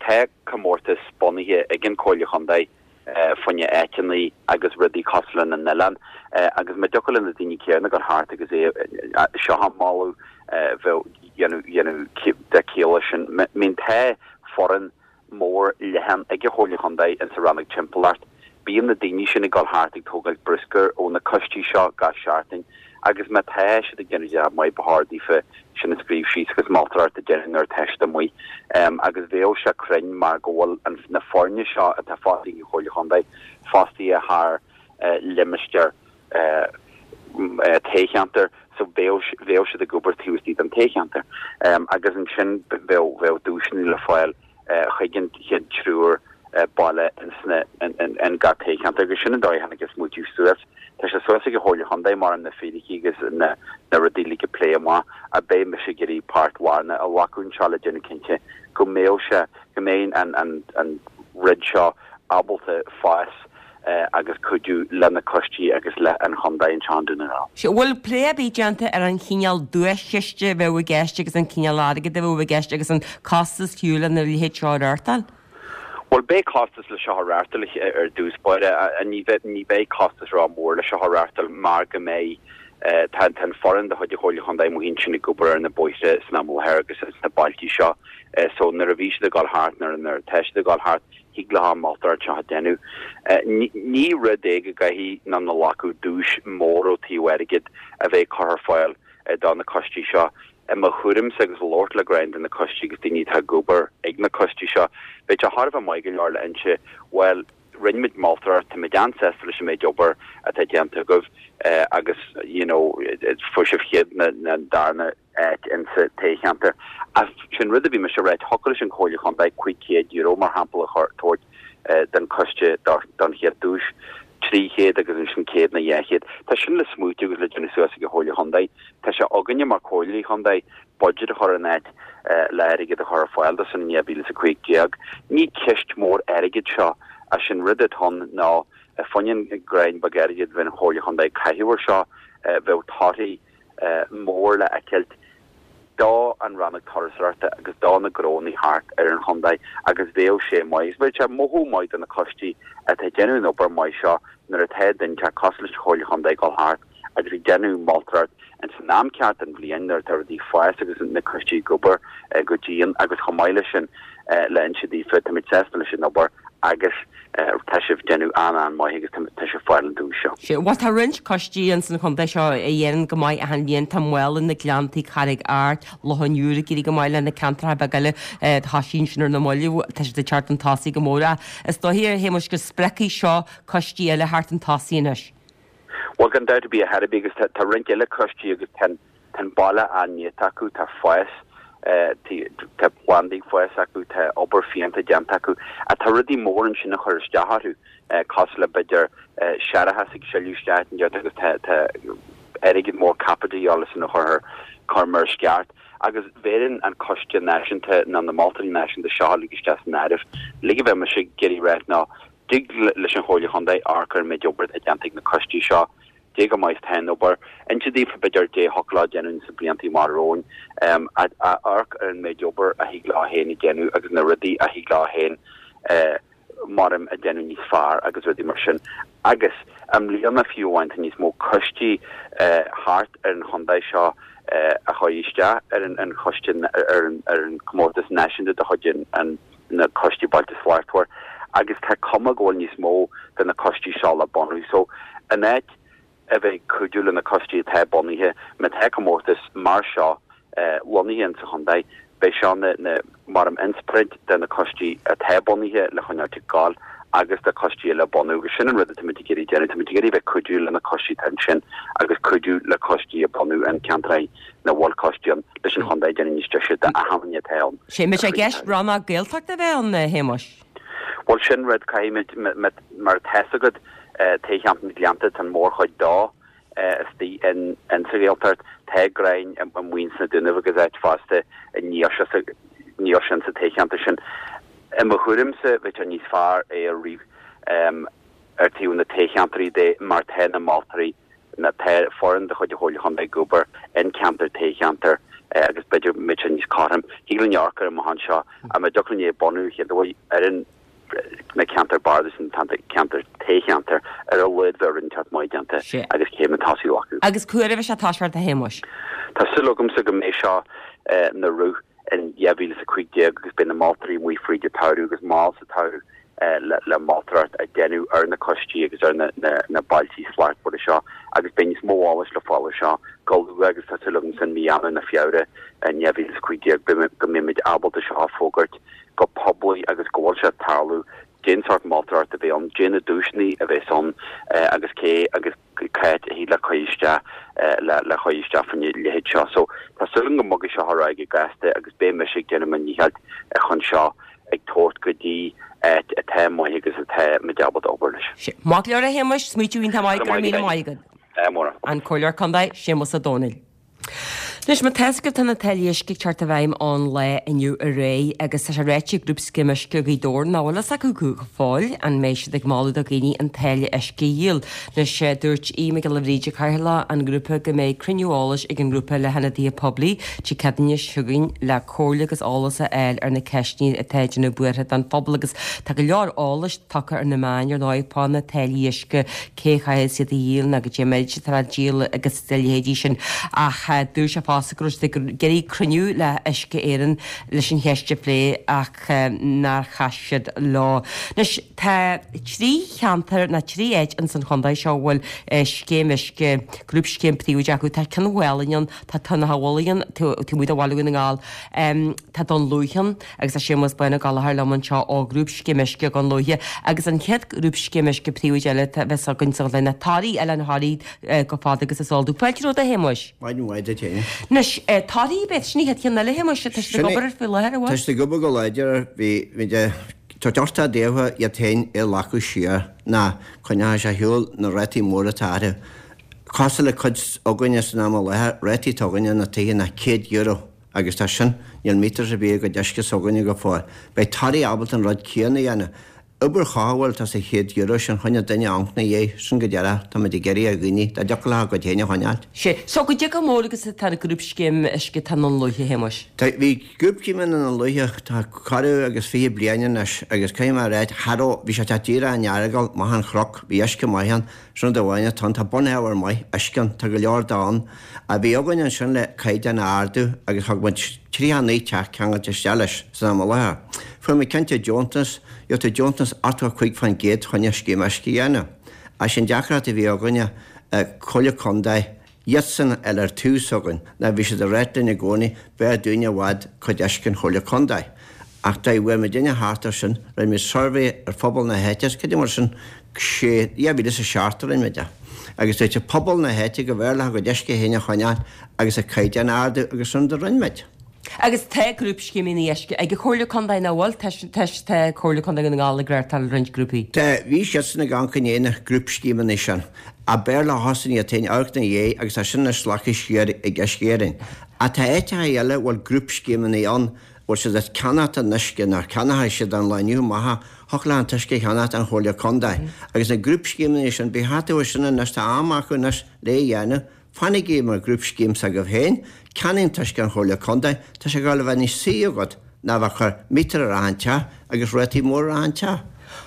tá comórtas bunaithe ag an Chomhairle Chontae fá choinne áiteanna agus rudaí cosúil lena n-oileán agus má thiocfadh le na daoine céanna gabháil thart agus é seo a mholadh bheadh dhéanamh de ciall sin mín tá foireann mór leathan ag an Chomhairle Chontae in sa rannóg timpeallacht. Bíonn na daoine sin ag dul thart ag tógáil bruscar ó na coistí seo gach seachtain agus má tá siad ag déanamh jab maith ba chóir daofa sin a scríobh síos agus moltóireacht a dhéanamh nuair atá siad amuigh. Um, agus bheadh sé cruinn mar go bhfuil an, na foirne seo atá fostaithe ag an Chomhairle Chontae fostaithe thar uh, limistéar uh, uh, toghcheantar so bheadh bheadh siad ag obair taobh istigh den toghcheantar. Um, agus ansin bheadh bheadh duaiseanna le fáil uh, chuig an chéad triúr uh, baile in, in, in, in gach toghcheantar agus sin an dóigh tháinig an smaoitiú suas. Tá sé suas ag an Chomhairle Chontae mar na fíricí agus na, na rudaí le plé amach a beidh mise ag iarraidh páirt lárnach a ghlacadh anseo le déanamh cinnte go mbeadh sé go mbeidh an, an, an rud seo ábalta fás uh, agus cuidiú le na coistí agus le an chontae anseo i nDún na nGall. Se bhfuil plé ar bith déanta ar an chineál duaischiste a bheadh i gceist agus an cineál airgid a bheadh i gceist agus an costas fiú lena leithéid seo a reáchtáil? Well beidh costas le seo a reáchtáil ar dtús báire ní ní beidh costas ró-mhór le seo a reáchtáil mar go mbeidh tá an foireann de chuid an Chomhairle Chontae amuigh ansin ag obair ar na bóithre san am láthair agus sna bailtí seo so nuair a bhí siad ag dul thart nuair nuair atá siad ag dul thart thig leo an moltóireacht seo a dhéanamh. Ní rud é go gcaithfidh na na lacú duais mór ó taobh airgid a bheith curtha ar fáil do na coistí seo. I mo thuairimse agus labhairt le roinnt de na coistí agus daoine atá ag obair ag na coistí seo, Bheadh sé thar a bheith maith go leor le inse well rinne muid moltóireacht tá muid an-sásta leis an méid obair atá déanta agaibh agus you know fuair sibh chéad nó na darna áit in sa toghcheantar. A sin rud a bhí mise rá thiocfadh leis an Chomhairle Chontae cúig chéad euro mar shampla a thabhairt don choiste don chéad duais. trí chéad agus ansin céad nó dhá chéad. Tá sin le smaoitiú agus le déanamh suas ag an Chomhairle Chontae. Tá sé againne mar Chomhairle Chontae budget a chur in áit le airgead a chur ar fáil do san dhá mhíle is a cúig déag. Ní ceist mór airgid seo a sin rud atá ann ná fá choinne greim beag airgid a bheith an Chomhairle Chontae caitheamh air seo bheadh torthaí mór le feiceáilt do an rannóg turasóireachta agus do na gnónna thart ar an chontae agus bheadh sé maith. Bheadh sé mothú maith do na coistí atá ag déanamh an obair maith seo nuair atá duine cosúil leis an Chomhairle Chontae ag dul thart agus ag déanamh moltóireacht in san am ceart den bhliain nuair atá rudaí ag fás agus na coistí ag obair go dian agus chomh maith leis sin le inse daofa tá muid sásta leis an obair agus tá sibh déanamh an an-mhaith agus tá sibh ag fáil an duais seo. Sé bhuel tá roinnt coistí in san chontae seo a dhéanann go maith achan bhliain tá Maolann na Gleanntaí Carraig Airt Loch an Iúir ag éirí go maith le na ceantracha beaga eile tá sin sin ar na mallaibh tá siad ag teacht chun tosaigh go mór is dóigh a Shéamais go spreagfaidh seo coistí eile thart chun tosaigh anois. Well gan dabht ar bith a bhí agus tá roinnt eile coistí agus tá an baile an-néata acu tá fás tá plandaí ag fás acu tá obair fiúntach déanta acu a tá rudaí mór ansin a chur isteach orthu cosúil le b'fhéidir séarachas ag sileadh isteach an agus tá airgead mór caipitil sin a chur chur mar sceart agus bheireann an coiste náisiúnta ná na moltóirí náisiúnta seo le isteach san áireamh. Le bheith me sé géirí rá ná dig leis an Chomhairle Chontae amharc ar an méid obair atá déanta ag na coistí seo dé go maith tá an obair inse daofa b'fhéidir dé thiocfadh leo déanamh sa blianta mar romhainn um, amharc ar an méid obair a thig leo féin a dhéanamh agus na rudaí a thig leo féin uh, maram a dhéanamh níos fearr agus rudaí mar sin. Agus i mbliana fiú amháin tá níos mó coistí uh, thart ar an chontae seo uh, a chuaigh isteach ar an, an choiste ar an, ar an comórtas náisiúnta de chuid an, na coistí Bailte Slachtmhara agus tá cuma go bhfuil níos mó de na coistí seo le bunú. So an áit a bheith cuidiú le na coistí atá bunaithe má tá comórtas mar seo uh, lonnaithe sa chontae, beidh seo na, na mar an inspioráid de na coistí atá bunaithe le choinneáil ag gabháil agus do choistí eile a bunú agus sin an rud atáimid ag iarraidh déanamh, táimid ag iarraidh bheith cuidiú le na coistí atá ansin agus cuidiú le coistí a bunú in ceantraí ina bhfuil coistí ann leis an chontae a dhéanamh níos deise d'achan duine atá ann. Sé mbeidh sé i gceist rannóg Gaeltachta a bheith ann, a Shéamuis? Bhuel sin rud caithfimid mar tá fhios agat toghcheantar na Gleannta tá an mhórchuid dó istigh in sa Ghaeltacht, tá greim amuigh sna Dúnaibh agus áit fosta níl níl sin sa toghcheantar sin. I mo thuairimse, bheadh sé níos fearr é a rith ar taobh na toghcheantraí de mar tá na moltóirí, na tá foireann de chuid an Chomhairle Chontae ag obair in ceantar toghcheantar agus b'fhéidir go mbeadh sé níos cothrom. Thig linn amharc air amach anseo ach má dtiocfadh linn é a bunú chéad uair ar an na ceantair bardais na ceantair toghcheantar ar a laghad bheadh rud inteacht maith déanta agus céim tosaigh glactha. Agus cá huair a bheidh sé toisithe a Shéamuis? Tá súil agamsa go mbeidh seo na rith in dhá mhíle is a cúig déag agus beidh na moltóirí amuigh fríd an tsamhradh agus mall sa tsamhradh le le moltóireacht a dhéanamh ar na coistí agus ar na na na bailtí slachtmhara seo agus beidh níos mó eolais le fáil ar seo go luath agus tá súil agam san mí Eanáir nó Feabhra in dhá mhíle is a cúig déag go mbeimid ábalta seo a fógairt go poiblí agus go bhfuil sé ag tarlú cén sórt moltóireacht a bheidh ann, cé na duaiseanna a bheas ann agus cé agus cá háit a thig le cur isteach le le cur isteach faoina leithéid seo. So tá súil agam go mbogfaidh seo ar aghaidh go gasta agus beidh mise ag déanamh mo dhícheall chun seo ag tabhairt go dtí áit atá maith agus atá muid ábalta obair leis. Maith go leor a Shéamuis, smaoitiú iontach maith, go raibh míle maith agat. Ádh mór. An Comhairleoir Contae, Séamus Ó Domhnaill. Anois, má tá fhios agaibh tá na táillí uisce ag teacht i bhfeidhm ón lá inniu ar aghaidh agus tá sé ráite ag Grúpscéim Uisce Ghaoth Dobhair nach bhfuil fhios acu go fóill an mbeidh siad ag moladh do dhaoine an táille uisce a dhíol. Anois, dúirt Aodh Mac Giolla Bhríde, Cathaoirleach an ghrúpa, go mbeidh cruinniú eolais ag an ngrúpa le hionadaithe poiblí Dé Céadaoine seo chugainn le comhairle agus eolas a fháil ar na ceisteanna atá ag déanamh buartha don phobal agus tá go leor eolais tugtha ar na meáin ar ndóigh fá na táillí uisce, cé a chaithfidh iad a dhíol nó goidé an méid atá le díol agus a leithéidí sin ach dúirt sé fosta go raibh siad ag iarraidh cruinniú le Uisce Éireann leis an cheist a phlé ach nár chas siad leo. Anois tá trí cheantar nó trí áit ins an chontae seo a bhfuil scéim uisce, grúpscéim príobháideach acu. Tá Cionn Mhálainn ann, tá Tóin an Mhullaigh ann, taobh amuigh de Bhaile Dhún na nGall, tá Dún Lúiche ann agus tá Séamus Bán Ó Gallchóir liom anseo ó Ghrúpscéim Uisce Dhún Lúiche agus an chéad ghrúpscéim uisce príobháideach eile a bheas againn sa chontae ná Toraigh, Oileán Thoraí chomh fada agus is eol domh. Fáilte romhat a Shéamuis. Maidin mhaith duit féin. Anois, Toraí, b'é sin an chéad cheann eile, a Shéamuis, tá siad ag obair air faoi láthair, an bhfuil? Tá siad ag obair go láidir air, bhí, bhí de, tá deartha daofa iad féin a ghlacadh siar, ná coinneoidh sé ar shiúl na rátaí móra atá orthu. Cosúil le cuid againne san am i láthair, rátaí atá againne na tithe ná céad euro agus tá sin, níl meters ar bith i gcuid uisce s'againne go fóill. Beidh Toraigh ábalta an rud céanna a dhéanamh. Obair chothabháil atá sa chéad euro sin choinne duine amhanc 'na dhiaidh, sin go deireadh, táimid ag iarraidh ar dhaoine, dá dtiocfadh leo a gcuid féin a choinneáil. Sea. So goidé chomh mór agus atá an grúpscéim uisce atá i nDún Lúiche, a Shéamuis? Tá, bhí grúpscéim i nDún Lúiche, tá corradh agus fiche bliain anois agus caithfidh mé a ráit, cha raibh, bhí sé ag teacht díreach in Earagail, amach an chnoc, bhí uisce maith ann, sin rud amháin atá ann, tá bunábhar maith uisce ann, tá go leor de ann. A bhí againn ansin le caighdeán a ardú agus thug muid tríocha a naoi teach ceangailte isteach leis san am i láthair. Fuair muid cinnte deontas, gheobhaidh tú deontas ochtó a cúig faoin gcéad choinne scéim uisce a dhéanamh. Ach sin deacracht a bhí againne, Comhairle Contae, iadsan a fháil ar taobh s'againn, ná bhí siad ag ráit linn i gcónaí, b'fhearr dúinne i bhfad cuid uisce an Chomhairle Contae. Ach dá bhfuair muidinne thart air sin, rinne muid suirbhé ar phobal na háite, is cad é mar sin, sé, dhá mhíle is a seacht a rinne muid é. Agus dúirt pobal na háite go mb'fhearr leo a gcuid uisce féin a choinneáil agus a caighdeán a ardú agus sin rud a rinne muid. Agus tá grúpscéimeanna uisce ag an Chomhairle Contae nach bhfuil? Tá, tá, tá Comhairle Contae Dhún na nGall ag reáchtáil roinnt grúpaí. Tá, bhí siadsan ag amharc i ndiaidh na grúpscéimeanna sin. Ach b'fhearr leosan iad féin amharc 'na dhiaidh agus tá sin anois glactha siar ag Uisce Éireann. Ach tá áiteacha eile a bhfuil grúpscéimeanna ann, bhfuil siad ag ceannacht an uisce, nó ceannóidh siad an lá inniu amach, thiocfadh leo an t-uisce a cheannacht ón Chomhairle Contae. Agus na grúpscéimeanna sin, beidh thart air sin anois, tá am acu anois le é a dhéanamh. Fanaigí mar ghrúpscéim s'agaibh féin, ceannaigh an t-uisce ón Chomhairle Contae, tá sé ag dul a bheith níos saoire agat ná bheith ag cur meter ar achan teach agus rátaí móra ar achan teach.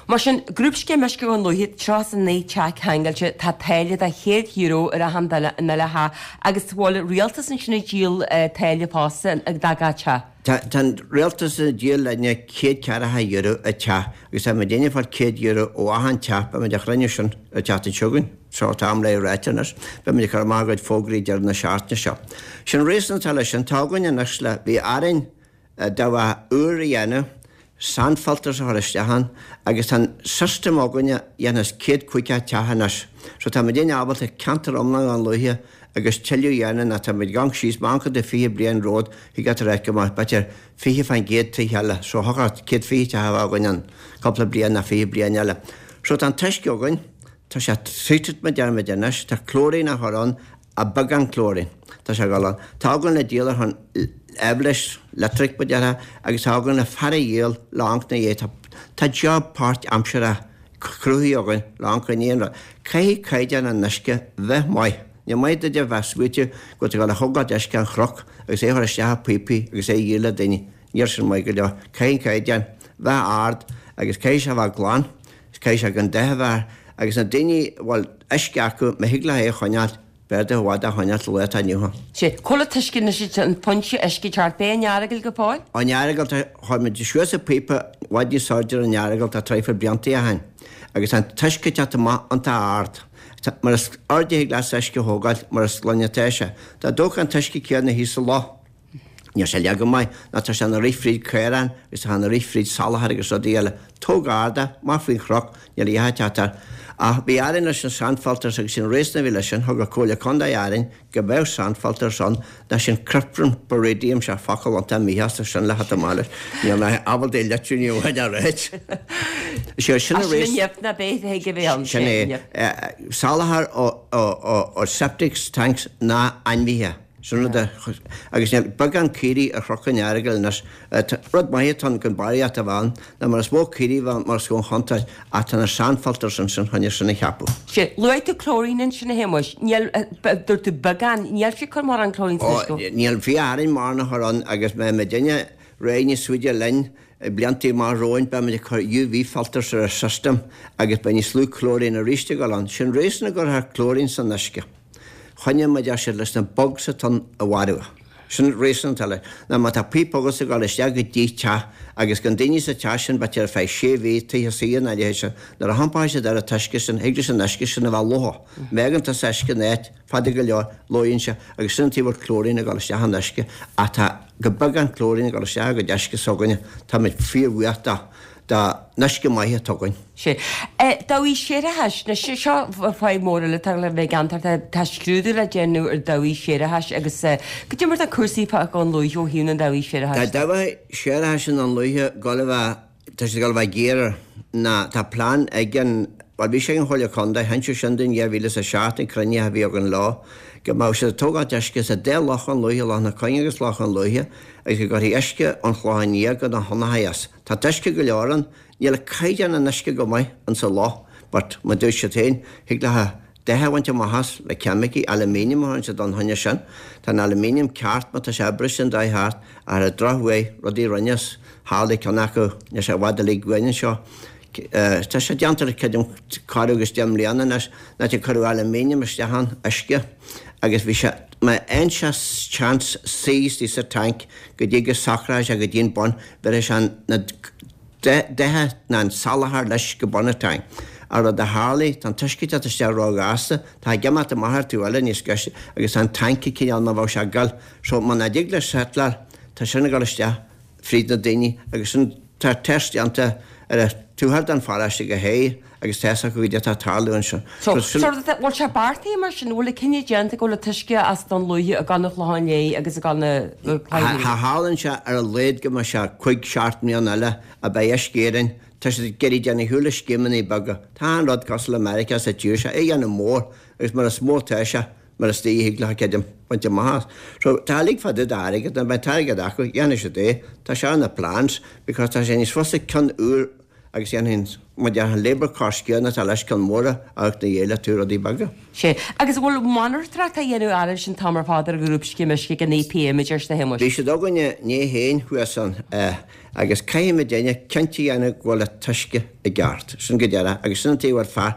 Mar sin, Grúpscéim Uisce Dhún Lúiche, tríocha is a naoi teach ceangailte, tá táille de chéad euro ar achan duine in uile theach agus bhfuil rialtas ansin ag díol táille fosta do gach teach? Tá an rialtas ag díol linne céad ceathracha euro a teach agus tá muidinne ag fáil céad euro ó achan teach, beidh muid á chruinniú sin an tseachtain seo chugainn, seo tá am le ráite anois, beidh muid ag cur amach a gcuid fógraí deireadh na seachtaine seo. Sin réasún atá leis sin, tá againn anois le, bhí orainn dabhach úr a dhéanamh, sand filters a chur isteach ann agus tá an system againne dhéanfas céad caoga teach anois. So tá muidinne ábalta ceantar iomlán Dhún Lúiche agus tuilleadh a dhéanamh ná tá muid ag amharc síos amach de fiche bliain romhat thig leat a ráit go mbeadh b'fhéidir fiche fán gcéad tithe eile so thiocfadh céad fiche teach a bheith againn in cúpla bliain ná fiche bliain eile. So tá an t-uisce againn, tá sé treated mar deir muid anois, tá chlorine á chur ann a beagán chlorine. Tá sé ag dul ann. Tá againn le díol ar shon aibhléis leictric ba déarfá agus tá againn le fear a dhíol le amharc 'na dhiaidh. Tá tá job páirt-aimseartha cruthaithe againn le amharc i ndiaidh an rud. Caithfidh caighdeán an uisce bheith maith. Ní maith duit a bheith smaoitiú go bhfuil tú ag dul a thógáilt uisce an chnoc agus é a chur isteach i bpíopaí agus é a dhíol le daoine. Níl sin maith go leor. Caithfidh an caighdeán bheith ard agus caithfidh sé bheith glan, caithfidh sé gan dath a bheith air agus na daoine a bhfuil uisce acu má thig leo é a choinneáil, B'fhearr duit i bhfad é a choinneáil sa lá atá inniu ann. Sea, cá bhfuil an t-uisce anois, an foinse uisce ceart, b'é an Earagail go fóill? An Earagail, tá, chuir muid suas an píopa i bhfad níos airde ar an Earagail tá traidhfil blianta ó shin agus tá an t-uisce ag teacht amach iontach ard. Tá, mar is airde a thig leat uisce a thógáil mar is glaine atá sé. Dá dtógfá an t-uisce céanna thíos sa loch, Níl sé leath go maith ná tá sé ina rith fríd caoráin agus tá sé ina rith fríd salachar agus rudaí eile. Tóg ard é, amach faoin chnoc, níl a dhath ag teacht air. Ach bhí Árainn leis na sand filters agus sin réasún a bhí leis sin, thug an Comhairle Contae Árainn go mbeadh sand filters ann ná sin cryptosporidium, sé focal iontach míshásta sin le theacht amach leis. Níl mé ábalta é a litriú ní amháin a ráit. Sé sin an Sin réasún. nimh ná beidh ag a bheith ann, Sin sé é. nimh. Salachar ó ó ó ó septic tanks ná ainmhithe. Sin rud a, agus níl beagán caoirigh ar Chnoc an Earagail anois. Rud maith atá ann gan barraíocht a bheith ann, ná mar is mó caoirigh a bheith ann mar is mó an chontúirt, ach tá na sand filters ansin chun é sin a cheapadh. Sea, luaigh tú chlorine ansin a Shéamuis. Níl, dúirt tú beagán, níl sé ag cur mórán chlorine san Ó, uisce. níl, bhí Árainn mórán a chur ann agus má muidinne réidh níos faide linn, blianta amach romhainn, beimid ag cur UV filters ar an system agus beidh níos lú chlorine arís ag dul ann. Sin réasún a gcuirfear chlorine san uisce. Choinne mar a deir siad leis na bugs atá ann a mharú. Sin réasún atá leis. Ná má tá píopa agat ag dul isteach go dtí teach agus gan daoine sa teach sin b'fhéidir ar feadh sé mhí, tithe saoire ná a leithéid sin, nuair a humpáil siad ar an t-uisce sin, thig leis an uisce sin a bheith lofa. Má fhágann tusa uisce in áit fada go leor, lóigheann sé agus sin an taobh a bhfuil chlorine ag dul isteach in uisce ach tá go beagán chlorine ag dul isteach i gcuid uisce s'againne. Táimid fíorbhuíoch dó. Don uisce maith atá againn. Sea. Dabhaigh séarachais, anois seo fadhb mór eile atá le bheith i gceantar, tá scrúdú le déanamh ar dabhaigh séarachais agus goidé mar atá cúrsaí fá Dhún Lúiche ó thaobh na ndabhaí séarachais Tá dabhaigh séarachais i nDún Lúiche ag dul a bheith, tá siad ag dul a bheith géar ná tá plean ag an, bhuel bhí sé ag an Chomhairle Contae, hinseadh sin dúinn dhá mhíle is a seacht an cruinniú a bhí againn leo, go mbeadh siad ag tógáilt uisce sa dá loch Dhún Lúiche, Loch na Cuinge agus Loch Dhún Lúiche, agus go gcuirfí uisce ón Chlochán Liath go na hAonach as. Tá uisce go leor ann, níl caighdeán an uisce go maith insa loch, but mar dúirt siad féin, thig leo dath a bhaint amach as le ceimicí, aluminium a chuireann siad ann choinne sin. Tá an aluminium ceart má tá sé briste an dath thart, ach ar an drochuair, rudaí a rinneas, tharlaigh ceann acu, níl sé i bhfad uilig uainn anseo, Tá sé déanta le creidim corradh agus deich mbliana anois, an áit a cuireadh aluminium isteach ann, uisce, agus bhí sé, má fhaigheann sé chance suí istigh sa tank go dtí go socróidh sé go dtí an bun, bhéarfaidh sé na dath ná an salachar leis go bun an tank. An rud a tharlaigh, tá an t-uisce ag teacht isteach róghasta, tá ag imeacht amach ar taobh eile níos gaiste agus tá an tank ag cineál mar bheadh sé ag gol. So muna dtig leis settleáil, tá sin ag dul isteach fríd na daoine agus sin, tá test déanta ar an tuathal den pharóiste go hé agus tá fhios acu goidé atá ag tarlú ansin. So, So, sin. sort of, bhfuil sé beartaithe mar sin, bhfuil an cinneadh déanta go bhfuil an t-uisce as Dún Lúiche ag dul na Clochán Léith agus ag dul na Cloich Cha tharlaíonn sé ar a laghad go mbeidh sé cúig seacht mbliana eile a beidh Uisce Éireann, tá siad ag iarraidh déanamh ar shiúl le scéimeanna beaga. Tá an rud cosúil le Meiriceá sa tír seo, é a dhéanamh mór agus mar is mó atá sé, mar is dóigh a thig leo creidim, baint amach as. So, tá uilig fá dtaobh d'airgead, nuair a bheidh an t-airgead acu, dhéanfaidh siad é. Tá sé ar na plans, because tá sé níos fusa ceann úr agus dhéanfainn, mar déarfá, an labour cost céanna atá leis ceann mór a amharc 'na dhiaidh le tú rudaí beaga. Sea. Agus an bhfuil monatóireacht á dhéanamh oraibh sin an t-am ar fad ar an ghrúpscéim uisce ag an EPA, a deir a Shéamuis? Bhí siad againne inné féin thuas ann, agus caithfidh muidinne cinnte a dhéanamh go bhfuil an t-uisce i gceart. Sin go deireadh, agus sin an taobh ar fear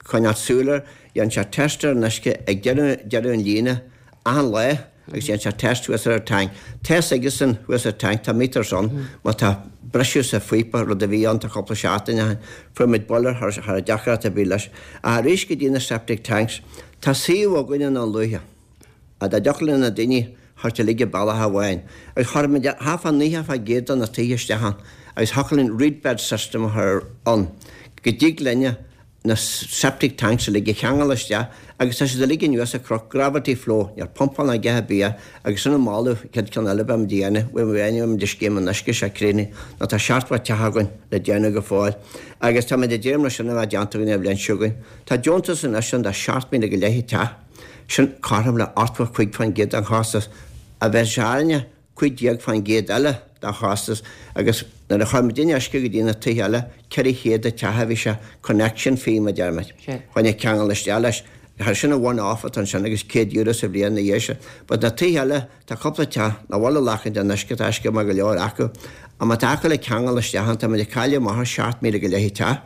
coinneáil súil air, dhéan sé test ar an uisce ag deireadh deireadh an líne achan lá agus dhéan sé test thuas ar an tank. Tá fhios aigesan thuas ar tank, tá meters ann, má tá briseadh sa phíopa, rud a bhí ann tá cúpla seachtain ó shin, fuair muid buille thar thar deacracht ar bith leis. Ach arís go dtí na septic tanks, tá suíomh againn i nDún Lúiche. Dá dtiocfadh le na daoine theacht uilig i bealach amháin. Agus chuir muid thart fá naocha fá gcéad de na tithe isteach ann agus thiocfadh linn reed-bed system a chur ann go dtig linne na septic tanks uilig a cheangal isteach agus tá siad uilig anuas an cnoc, gravity flow, níl pumpáil ná a dhath ar bith air agus sin an moladh, chéad ceann eile beimid a dhéanamh, bhfuil muid ag scéim an uisce seo críochnaithe nó tá seachtó teach againn le déanamh go fóill agus táimid ag dréim leis sin a bheith déanta againn an bhliain seo chugainn. Tá deontas anois ann de seacht míle go leith an teach, sin cothrom le ochtó cúig faoin gcéad den chostas a bheadh sé orainne cúig déag faoin gcéad eile den chostas agus nuair a chuir muidinne uisce go dtí na tithe eile, ceithre chéad a teach a bhí sé, connection fee mar a deir muid, choinne ceangal isteach leis. Sin an one off atá ansin agus céad euro sa bhliain ina dhiaidh sin. But na tithe eile, tá cúpla teach nach bhfuil ag glacaint den uisce, tá uisce maith go leor acu. Ach má tá acu le ceangal isteach ann, tá muid ag cailleadh amach ar seacht míle go leith teach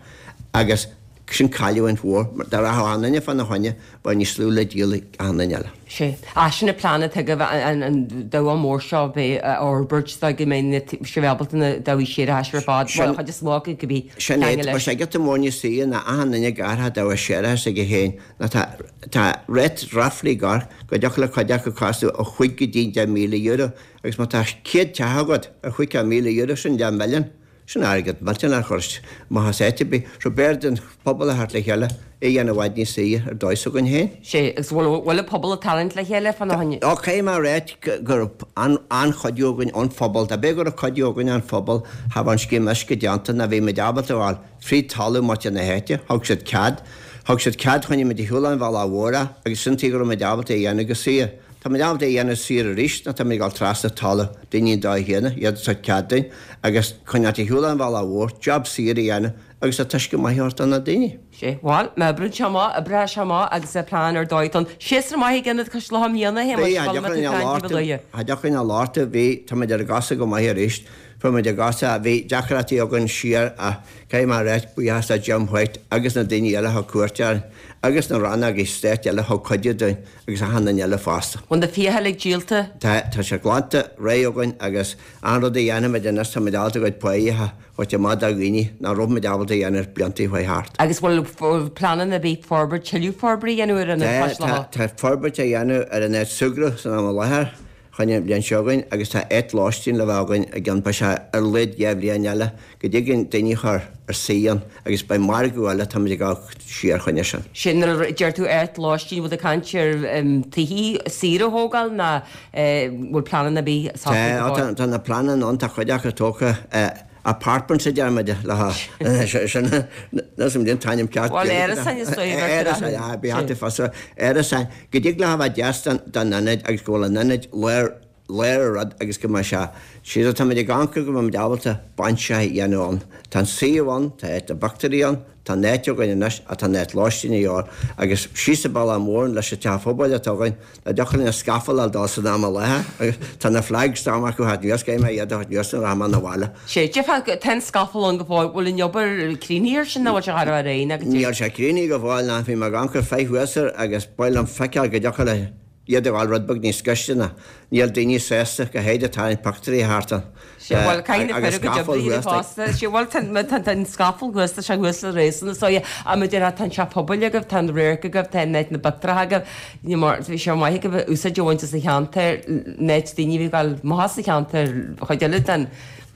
agus sin cailliúint mhór. Dá rachadh achan duine fána choinne, bheadh níos lú le díol ag achan duine eile. Sea. Ach sin an plean atá agaibh, an dumhach mór seo a bheith a fhorbairt so go mbeidh sibh ábalta na dumhaí séarachais ar fad, bhuel, an chuid is mó acu, go bí Sin é. ceangal Tá leis. sé giota mór níos saoire ná achan duine ag athrá dumhach séarachais aige féin. Nó tá, tá rate roughly gar go dtiocfadh le cuid acu costú ó chúig go dtí deich míle euro agus má tá céad teach agat ar chúig míle euro, sin leath milliún. Sin airgead millteanach a chur amach as áit ar bith. So b'fhearr don phobal a theacht le chéile, é a dhéanamh i bhfad níos saoire ar dóigh s'againn féin. Sea, agus bhfuil, bhfuil an pobal ag tarraingt le chéile fána choinne? Ó, caithfidh mé a ráit go raibh an-chuidiú againn ón phobal. Dá b'é go raibh cuidiú againn ón phobal, cha bheadh an scéim uisce déanta ná bhí muid ábalta a ghabháil fríd talamh muintir na háite. Thug siad cead. Thug siad cead choinnigh muid ar shiúl an bhealach mhór é agus sin tuige go raibh muid ábalta é a dhéanamh go saor. Tá muid ábalta é a dhéanamh saor arís nó tá muid ag dul trasna talamh daoine an dóigh chéanna, iad ag tabhairt cead dúinn agus coinneáilt ar shiúl an bhealach mhór, job saor a dhéanamh agus tá t-uisce maith a thabhairt do na daoine. Sea, bhuel, má oibríonn sé amach, oibreoidh sé amach agus é plean ar dóigh don séasúr maith ag Ionad Cois Locha i mbliana, a Shéamais, Bhí, bhuel, má tá plean taobh amuigh. cha dtiocfainn a labhairt, bhí, tá muid ar an gcosa go maith arís, fuair muid an gcosa, bhí deacrachtaí againn siar ach caithfidh mé a ráit, buíochas le Jim White agus na daoine eile a thug cuairt orainn agus na rannógaí stáit eile a thug cuidiú dúinn agus achan duine eile fosta. Bhfuil na fiacha uilig díolta? Tá, tá sé glanta réidh againn agus an rud a dhéanfaimid anois, táimid ábalta a gcuid páighe a thabhairt amach do dhaoine nach raibh muid ábalta a dhéanamh blianta a chuaigh thart. Agus bhfuil pleananna ar bith forbairt, tuilleadh forbartha a dhéanamh ar an Tá, Cois tá, Locha? tá forbairt á dhéanamh ar an áit súgradh san am i láthair. Choinne an bhliain seo chugainn agus tá áit lóistín le bheith againn i gceann beidh sé ar a laghad dhá bhliain eile go dtig linn daoine a chur ar suí ann agus beidh margadh eile táimid ag dul siar choinne sin. Sin nuair a deir tú áit lóistín, bhfuil tú ag caint ar tithe saoire a thógáil ná bhfuil pleananna ar bith socraithe go Tá, fóill? tá na pleananna ann, tá cuid acu tógtha. Apartments a deir muid le sin níl an t-ainm ceart Bhuel árasáin is dóigh a bheadh Árasáin, ah, bí thart fasa árasáin go dtig leo a bheith deas don don ionad agus go bhfuil an ionad lár lár an rud agus go mbeidh sé siad tá muid ag amharc go mbeidh muid ábalta bainseach a dhéanamh ann. Tá an suíomh ann, tá áit na bpictiúirí ann, tá an áit againn anois ach tá an áit lóistín a dhíobháil agus síos an bealach mór leis an teach phobail atá againn dá dtiocfadh linn an scafall a fháil dul san am i láthair agus tá na flagstone acu thart anuas caithfidh mé iad a thabhairt anuas nuair a rachaidh mé 'na bhaile. Sea, déarfá tá an scafall ann go fóill, bhfuil an obair críochnaithe air sin nó bhfuil sé char ar aon agus Níl sé críochnaithe go fóill ná bhí mé ag amharc ar feadh thuas air agus ba mhaith liom feiceáil go dtiocfadh le iad a ghabháil rud beag níos gaiste ná níl daoine sásta go háirid ag tarraingt pictiúirí thart ann Sea, bhuel, caithfidh na agus fir a gcuid scafall oibre a dhéanamh thuas like. fosta. Sea, bhuel, tá, tá, tá an scafall thuas, tá sé thuas le réasún is dóigh. Ach mar a déarfá, tá an teach pobail agaibh, tá an radharc agaibh, tá an áit na bpictiúracha agaibh. Ní mar, bhí sé maith agaibh úsáid a bhaint as an cheantar, an áit daoine a bhí ag gabháil amach as an cheantar, chuid eile den,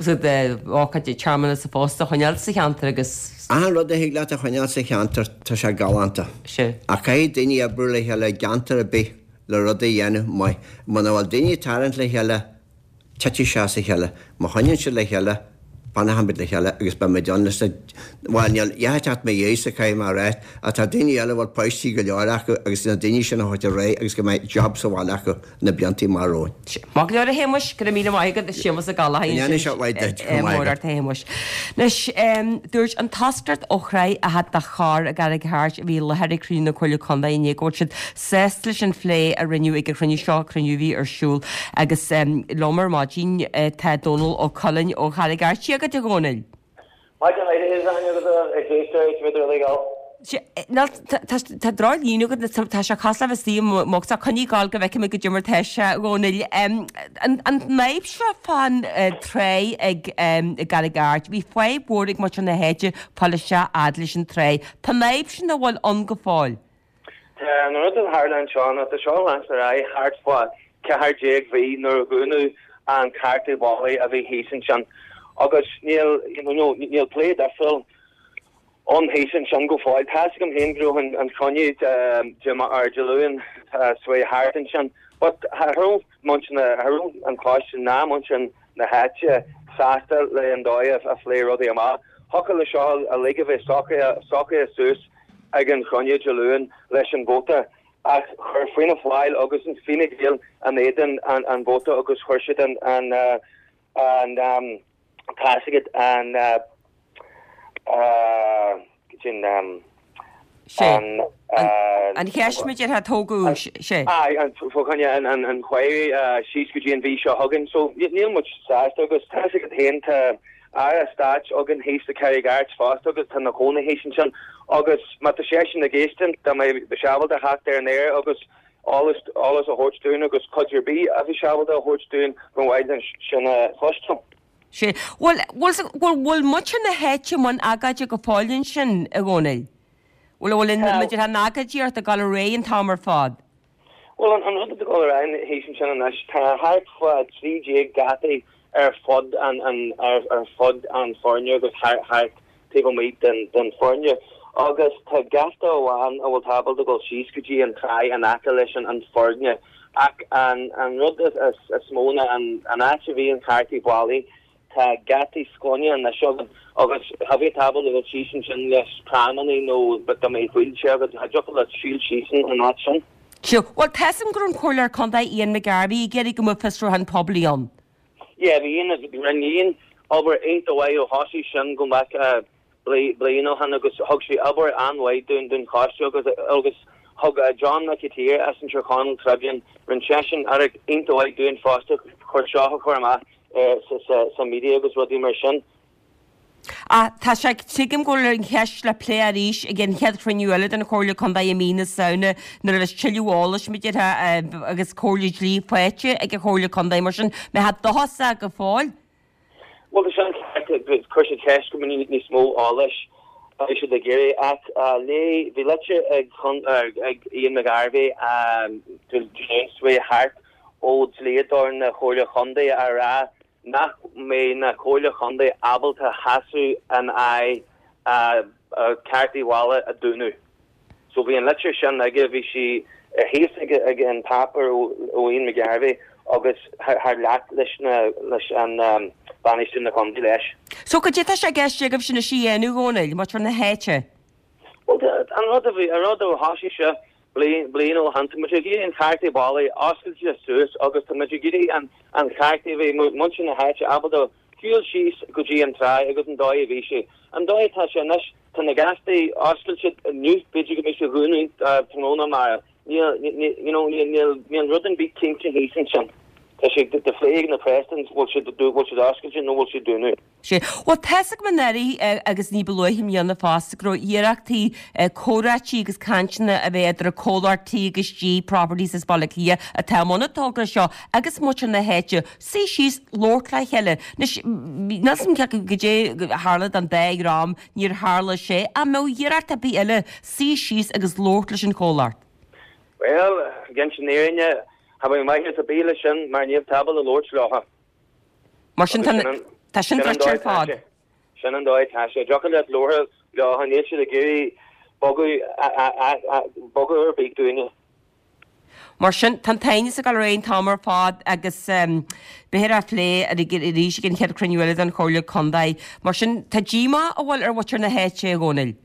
de ócáid searmanas sa phost a choinneáil sa cheantar agus. Achan rud a thig leat a choinneáil sa cheantar, tá sé galánta. Sea. Ach caithfidh daoine oibriú le chéile i gceantar ar bith le rud a dhéanamh maith. Muna bhfuil daoine ag tarraingt le chéile, titfidh sé as a chéile. Má choinníonn siad le chéile, fanfaimid le chéile agus beimid ann leis na, bhuel, níl a dhath ag teacht mo dhiaidhse, caithfidh mé a ráit, ach tá daoine eile a bhfuil páistí go leor acu agus na daoine sin a thabhairt ar aghaidh agus go mbeidh job sa bhaile acu na blianta amach romhainn. Maith go leor a Shéamais, go raibh míle maith agat, Séamas Ó Gallchóir Go ndéana sé mhaith duit, go maith mór agat. ort a Shéamais. Anois, dúirt an toscaireacht ó Thráigh Fhada do Chorr i gCarraig Airt a bhí i láthair ag cruinniú na Comhairle Contae inné go bhfuil siad sásta leis an phlé a rinneadh ag an chruinniú seo, cruinniú a bhí ar siúl agus liom ar maidin tá Dónal Ó Cuilinn ó Charraig Airt. Dia dhuit a Dhónaill. Maidin mhaith a Áine agus a éisteoirí is féidir uilig ann. Tá droch-líne agat, tá sé cosúil le bheith istigh i mbocsa, coinnigh ag gabháil go bhfeicfidh mé goidé mar tá sé, a Dhónaill. An fhadhb seo fán tráigh ag i gCarraig Airt, bhí fadhb mhór ag muintir na háite fáil isteach fhad leis an tráigh. Tá an fhadhb sin an bhfuil ann go fóill? Tá an rud a tharla anseo ná tá seo ag leanstan ar aghaidh thart fá ceithre ceathair déag mhí nuair a dúnadh an cartadh baile a bhí thíos ansin agus níl you know, níl plé difriúil ann thíos ansin go fóill. Tá a fhios agam féin go raibh an cruinniú ar Dé Luain seo thart ansin, but cha raibh muintir na cha raibh an coiste ná muintir na háite sásta le an dóigh a phléadh rudaí amach. Thiocfadh le seo uilig a bheith socraithe suas ag an chruinniú Dé Luain leis an vóta ach chuir Fianna Fáil agus an Fine Gael in éadan an an vóta agus chuir siad an an an um, tá an uh, uh, sin um, an an cheist idir ha tógadh sé. an fáinne an an an chuir síos go dtí an mhí seo chugainn, so níl muid sásta agus tá féin tá Aire Stáit againn thíos sa Carraig Airt fosta agus tá ina chónaí thíos ansin agus má tá seisean ag éisteacht tá mé ábalta theacht ar an aer agus eolas eolas a thabhairt dúinn agus cuid ar bith a bhí ábalta a thabhairt dúinn go bhfuil sin a chloisteáil. Sé bhfuil bhfuil muintir na háite i mbun agóide go fóill ansin a Dhónaill. Bhfuil bhfuil muidir an agóidíocht ag dul ar aghaidh an t-am ar fad. Well an rud ag dul ar aghaidh thíos ansin anois tá thart fá trí déag geataí ar fud an an ar ar fud an foirne agus thart thart taobh amuigh den den foirne agus tá geata amháin a bhfuil ábalta dul síos go dtí an trá in aice leis an an foirne ach an an rud is is is mó ná an an áit a bhí an cártaí baile tá geataí scoine anois againn agus cha bhí ábalta dul síos ansin leis pramanna nó dá mbeadh wheelchair agus cha dtiocfadh leat siúl síos an áit sin. Seo, Well tá a fhios agam go raibh an Comhairleoir Contae Ian McGarvey ag iarraidh go mbeadh fiosrúchán poiblí ann. Yeah, bhí Ian rinne Ian obair iontach mhaith ó thosaigh sin go mbeadh bliain ó shin agus thug sé obair an-mhaith dún dún choiste agus agus thug John McAteer as an Tír Chonaill Tribune rinne seisean obair iontach mhaith dúinn fosta chur seo a chur amach sa sa media agus rudaí mar sin. Ah, tá sé tuigim go bhfuil an cheist le plé arís ag an chéad chruinniú eile den Chomhairle Contae i mí na Samhna nuair a bheas tuilleadh eolais idir agus comhairle dlí faighte ag an Chomhairle Contae mar sin me ha dosa go fóill. Well tá sin chuir sé ceist go níos mó eolais a bhí siad ag iarraidh ach lé bhí litir ag ag Ian McGarvey seo thart ó dlíodóir na Comhairle Contae a rá nach mbeidh na Comhairle Contae ábalta seasamh in aghaidh cártaí bhaile a dúnadh. So bhí an litir sin aige bhí sí thíos ag ag an páipéar ó Ian McGarvey agus thar leat leis na leis an um, bainistiú na contae leis. So cad é atá sé i gceist agaibh sin a dhéanamh a Dhónaill, muintir na háite. Well an rud a bhí an rud a thosaigh sé bliain bliain ó shin tá muid ag iarraidh an cártaí baile oscailte suas agus tá muid ag iarraidh an an cártaí bhí muintir na háite ábalta siúl síos go dtí an trá agus an dóigh a bhí sé. An dóigh tá sé anois tá na geataí oscailte inniu b'fhéidir go mbeidh sé dúnadh tráthnóna mar níl you know níl níl rud ar bith cinnte thíos ansin. Tá sé de phlé na Prestons bhfuil sé bhfuil sé oscailte nó bhfuil sé dúnadh. Sé Well tá a fhios agam anuraidh agus ní ba luaithe i mbliana fosta go raibh iarrachtaí comhráití agus cainteanna a bheith idir comhlacht T agus G Properties as Baile Átha Cliath atá i mbun an togra seo agus muintir na háite suí síos labhairt le chéile. Níl a fhios agam goidé tharla don dá dhream níor tharla sé an mbeadh iarracht ar bith eile suí síos agus labhairt leis an chomhlacht. Well, gan sin éine ha bh maiid a bí sin mar níl ábalta labhairt leo. Mar sin tá sin druidte ar fad. Sin an dóigh tá sé deacair leat labhairt leo níl siad ag iarraidh bogadh bogadh ar bith dúinne. Mar sin tá tainis a gal réon támar fád agus b'fhéidir á phlé arís ag an chéad chruinniú eile den Chomhairle Contae. Mar sin tá díomá a bhfuil ar mhuintir na háite a Dhónaill.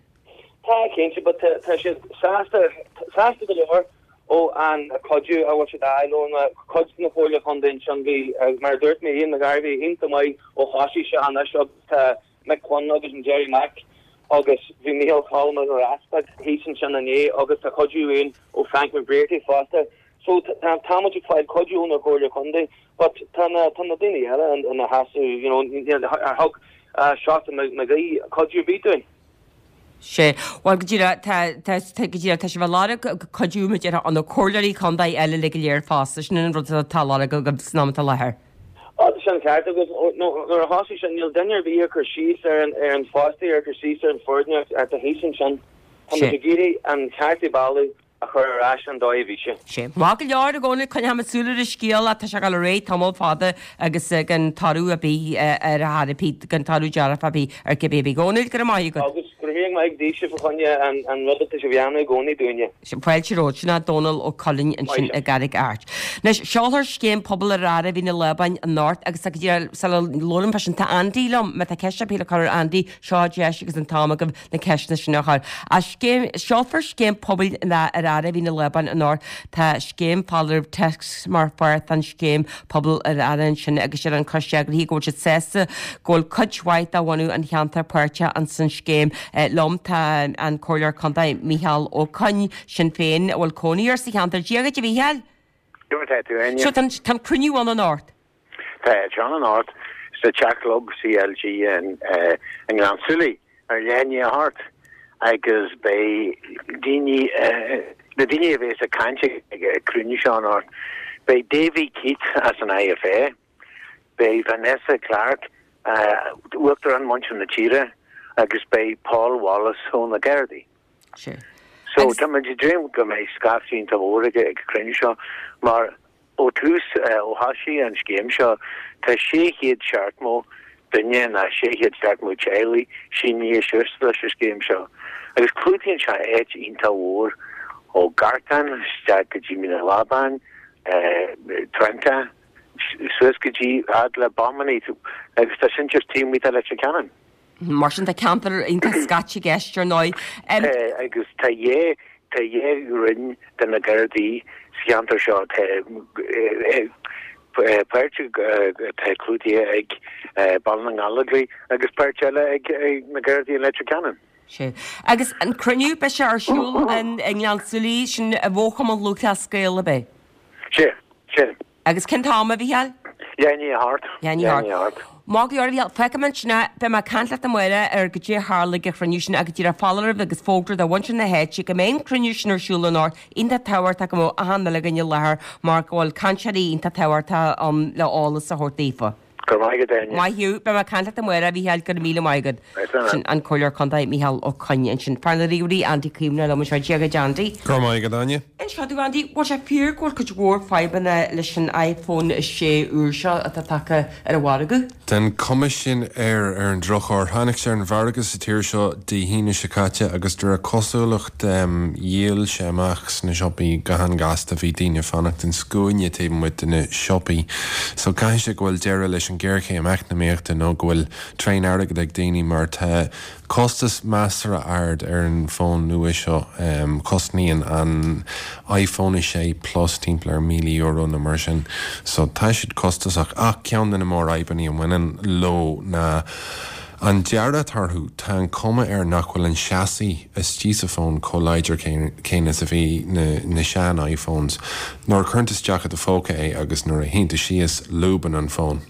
Tá cinnte, but tá siad sásta sásta go leor ó an cuidiú a bhfuil siad fháil ó na cuid na Comhairle Contae sin bhí mar dúirt mé Ian McGarvey iontach maith ó thosaigh sé anois agus tá Mick Quinn agus an Jerry Mack agus bhí Micheál Colm agus Easpag thíos ansin inné agus tá cuidiú uainn ó Frank McBrearty fosta. So tá tá muid ag fáil cuidiú na Comhairle Contae, but tá na tá na daoine eile ina sheasamh you know ar thug Seosamh McGee cuidiú ar bith dúinn. sé Well go dtí tá go dtí tá sé bheith lorg cuidiú idir an na comhairleoirí contae eile le go léir fosta sin an rud atá lorg go san am atá láthair. Á sin ceart agus nuair a thosaigh sin níl duine ar bith ag cur síos ar an ar an fostaí ar cur síos ar an foirne ar tá thíos ansin. Tá muid ag iarraidh an cártaí baile a chur ar ais an dóigh a bhí sé. Sé. Maith go leor a Dhónaill, coinneoidh muid súil ar an scéal ach tá sé ag dul ar aghaidh tamall fada agus gan toradh ar bith ar chor ar bith, gan toradh dearfach ar bith ar cibé ar bith. A Dhónaill, go raibh maith agat. Agus go raibh míle maith daoibhse fá choinne an rud atá sibh a dhéanamh i gcónaí dúinne. Fáilte romhat, sin é Dónal Ó Cuilinn ansin i gCarraig Airt. Anois, seolfar Scéim Pobail ar Aire Mhín na Lábáin anocht agus tá go dtí sula labhraím fá sin, tá Andy liom, má tá ceist ar bith le cur ar Andy, seo an deis agus an t-am agaibh na ceisteanna sin a chur. Ach scéim, seolfar Scéim Pobail ar Aire Mhín na Lábáin anocht. Tá scéim foláireamh téacs mar pháirt den scéim Pobail ar Aire ansin agus deir an coiste eagraithe go bhfuil siad sásta go bhfuil cuid mhaith de bhunadh an cheantair páirteach ins an scéim. Liom tá an Comhairleoir Contae Micheál Ó Coinn, Sinn Féin, a bhfuil cónaí air sa cheantar. Dia dhuit a Mhícheáil. Dia dhuit a Áine. So tá an cruinniú ann anocht. Tá sé ann anocht sa teach club CLG i nGleann tSúilí ar leath i ndiaidh a hocht agus beidh daoine, na daoine a bheas ag caint ag an cruinniú seo anocht, beidh Davy Keith as an IFA, beidh Vanessa Clarke, Uachtarán Muintir na Tíre agus beidh Paul Wallace ó na Gardaí. So tá muid ag dréim go mbeidh scaifte iontach mór ag an cruinniú seo mar ó tús, ó thosaigh an scéim seo, tá sé chéad seachtmó duine ná sé chéad seachtmó teaghlaigh sínithe suas leis an scéim seo. Agus clúdaíonn sé áit iontach mhór ó Gartán isteach go dtí Mín an Lábáin, Trentagh, suas go dtí fhad le Bomany agus tá sin just taobh amuigh de Leitir Ceanainn. Mar sin tá ceantar iontach scaite i gceist ar ndóigh. Tá agus tá dhá tá dhá roinn de na Gardaí sa cheantar seo. Tá páirt atá clúdaithe ag Baile na nGallóglach agus páirt eile ag na Gardaí i Leitir Ceanainn. Sea. Agus an cruinniú, beidh sé ar siúl i nGleann tSúilí, sin i bhFochumann Lúthchleas Gael, ab é? Sea, sin. Agus cén t-am, a Mhícheáil? Leath i ndiaidh a hocht. Leath i ndiaidh a hocht. Maith go leor, a Mhícheáil. Fágfaidh mé ansin é. Beidh mé ag caint leat amárach ar goidé a tharla ag an chruinniú sin ach go díreach foláireamh agus fógra do mhuintir na háite go mbeidh an cruinniú sin ar siúl anocht. Iontach tábhachtach go mbeadh achan uile dhuine i láthair mar go bhfuil cainteoirí iontach tábhachtach ann le eolas a thabhairt daofa. Go raibh maith agat, Áine. Maith thú. Beidh mé ag caint leat amárach, a Mhícheáil. Go raibh míle maith agat. Sin an Comhairleoir Contae Micheál Ó Coinn ansin. Fear na ríomhairí, Andy Caomhánach liom anseo. Dia dhuit, Andy. Go raibh maith agat, Áine. Inis domh, Andy, bhfuil sé fíor go bhfuil cuid mhór fadhbanna leis an iPhone a sé úr seo atá tagtha ar an mhargadh? Tá an cuma sin air, ar an drochuair. Tháinig sé ar an mhargadh sa tír seo Dé hAoine seo caite agus de réir cosúlacht dhíol sé amach sna siopaí go han-ghasta. Bhí daoine ag fanacht an scuaine taobh amuigh de na siopaí. So caithfidh sé go bhfuil deireadh leis an ghéarchéim eacnamaíochta nó go bhfuil tréan airgead ag daoine mar tá costas measartha ard ar an bhfón nua seo. Cosnaíonn an iPhone a sé Plus timpeall ar míle euro nó mar sin. So tá siad costasach ach ceann de na mórfhadhbanna a bhaineann leo ná an dearadh atá orthu. Tá an cuma air nach bhfuil an chassis istigh sa bhfón chomh láidir céanna is a bhí na na sean iPhones. Nuair a chuireann tú isteach i do phóca é agus nuair a shuíonn tú síos, lúbann an fón.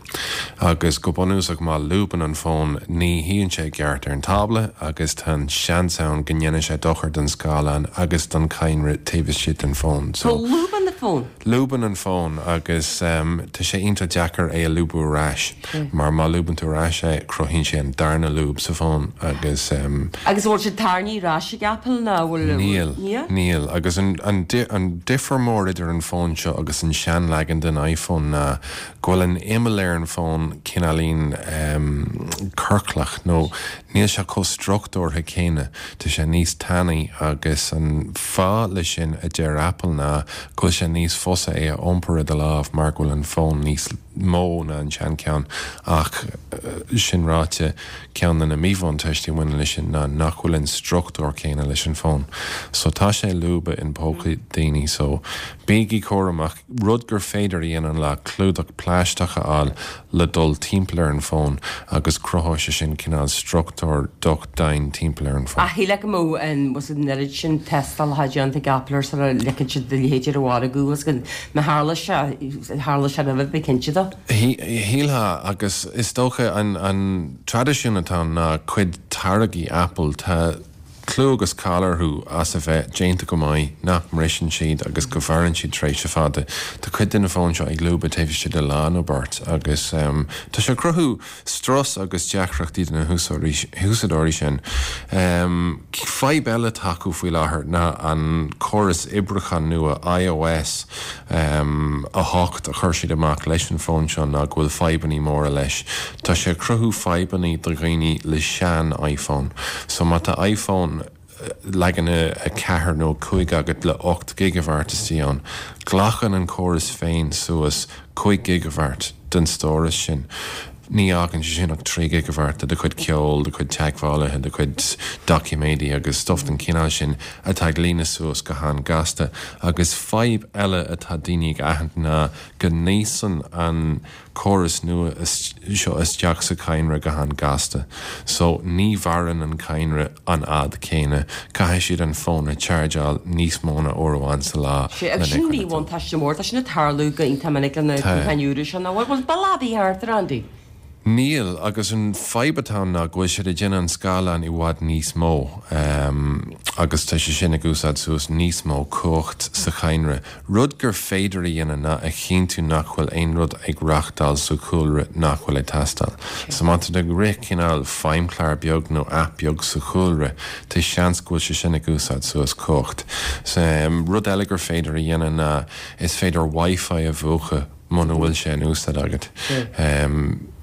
Agus go bunúsach má lúbann an fón ní shuíonn sé i gceart ar an tábla agus tá an seans ann go ndéanann sé dochar don scáileán agus don chadhnra taobh istigh den fón. So lúbann an fón? Lúbann an fón agus tá sé iontach deacair é a lúbadh ar ais mar má lúbann tú ar ais é cruthaíonn sé an darna lúb sa bhfón agus. Agus an bhfuil siad tarraingthe ar ais ag Apple nó an bhfuil? Níl, níl. Agus an an difear mór idir an fón seo agus an seanleagan den iPhone ná go bhfuil an imeall ar an bhfón cineáilín ciorclach nó níl sé chomh struchtúrtha céanna, tá sé níos tanaí agus an fáth leis sin a deir Apple ná go bhfuil sé níos fusa é a iompar i do lámh mar go bhfuil an fón níos mó ná an seancheann ach sin ráite ceann de na míbhuntáistí a bhaineann leis sin ná nach bhfuil an struchtúr céanna leis an bhfón so tá sé ag lúbadh in pócaí daoine so bígí cúramach. Rud gur féidir a dhéanamh ná clúdach plaisteach a fháil le dul timpeall ar an bhfón agus cruthóidh sé sin cineál struchtúr docht daingean timpeall ar an bhfón. Ach shílfeá go mbeadh an bhfuil an oiread sin tástálacha déanta ag Apple air sula ligfeadh siad a leithéid ar an mhargadh agus go má tharla sé, tharla sé roimhe, bí cinnte de. Shílfeá, agus is dócha an traidisiún atá ann ná cuid táirgí Apple, tá clú agus cáil orthu as a bheith déanta go maith, nach mbriseann siad agus go mhaireann siad tréimhse fada. Tá cuid de na fóin seo ag lúbadh taobh istigh de lá nó beirt agus tá sé ag cruthú strus agus deacrachtaí do na húsáideoirí sin. Fadhb eile atá acu faoi láthair ná an córas oibriúcháin nua iOS a hocht a chuir siad amach leis an bhfón seo ná go bhfuil fadhbanna móra leis. Tá sé ag cruthú fadhbanna do dhaoine le sean iPhone. So má tá iPhone leagan a ceathair nó cúig agat le ocht gigabhairt istigh ann, glacann an córas féin suas cúig gigabhairt den stóras sin. Ní fhágann sé sin ach trí gigabhairt de do chuid ceoil, do chuid teagmhálaithe, do chuid doiciméidí agus stuff den chineál sin atá ag líonadh suas go han-gasta. Agus fadhb eile atá daoine ag aithint ná go n-íosann an córas nua seo isteach sa cadhnra go han-gasta. So ní mhaireann an cadhnra an fhad céanna. Caithfidh siad an fón a chargeáil níos mó ná uair amháin sa lá. Sé, agus sin míbhuntáiste mór. Tá sin ag tarlú go iontach minic le na gutháin úra seo. Nach bhfuil bail ar bith thart ar Andy? Níl, agus an fadhb atá ann ná go bhfuil siad ag déanamh an scáileán i bhfad níos mó agus tá sé sin ag úsáid suas níos mó cumhacht sa chadhnra. Rud gur féidir a dhéanamh ná a chinntiú nach bhfuil aon rud ag reachtáil sa chúlra nach bhfuil ag teastáil. So má tá tú ag rith cineál feidhmchlár beag nó app beag sa chúlra, tá seans go bhfuil sé sin ag úsáid suas cumhacht. Rud eile gur féidir a dhéanamh ná is féidir Wi-Fi a mhúchadh muna bhfuil sé in úsáid agat.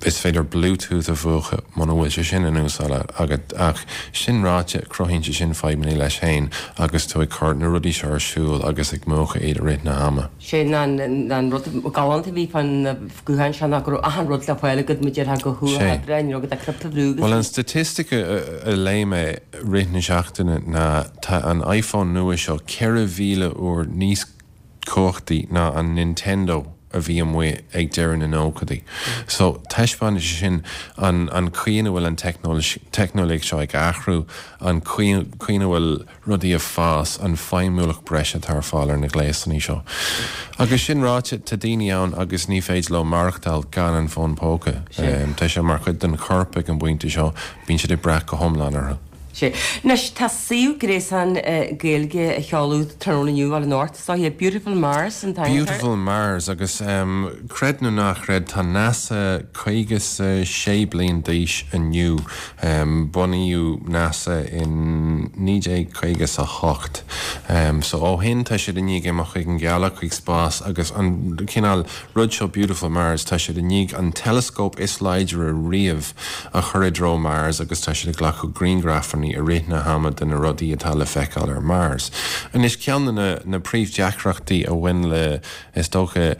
Is féidir Bluetooth a mhúchadh muna bhfuil sé sin in úsáid agat ach sin ráite cruthaíonn sé sin fadhbanna leis féin agus tú ag cur na rudaí seo ar siúl agus ag múchadh iad i rith na hama. Sé an rud galánta a bhí fan na gutháin seo ná go raibh achan rud le fáil agat mar déarfá go huathoibríoch, ní raibh agat ach cnaipe a bhrú agus. Bhuel an staitistic a léigh mé rith na seachtaine ná tá an iPhone nua seo ceithre mhíle uair níos cumhachtaí ná an Nintendo a bhí amuigh ag deireadh na nóchaidí. So taispeánann sé sin an an chaoi ina bhfuil an teicneolaíocht seo ag athrú, an chaoi ina bhfuil rudaí ag fás, an feidhmiúlacht breise atá ar fáil ar na gléasanna seo. Agus sin ráite, tá daoine ann agus ní féidir leo maireachtáil gan an fón póca. Tá sé mar chuid den chorp ag an bpointe seo, bíonn siad ag brath go hiomlán orthu. Sea. Anois, tá suíomh gréasáin Gaeilge á sheoladh tráthnóna inniu, bhuel anocht, is dóiche, Beautiful Mars an t-ainm atá air. Beautiful Mars, agus creid nó ná chreid, tá NASA caoga 's a sé bliain d'aois inniu. Bunaíodh NASA in naoi déag caoga 's a hocht. So ó shin tá siad i ndiaidh imeacht chuig an ghealach, chuig spás, agus an cineál rud seo Beautiful Mars, tá siad i ndiaidh an teileascóp is láidre riamh a chur i dtreo Mars agus tá siad ag glacadh grianghrafanna i rith na hama de na rudaí atá le feiceáil ar Mars. Anois, ceann de na na príomhdheacrachtaí a bhain le, is dócha,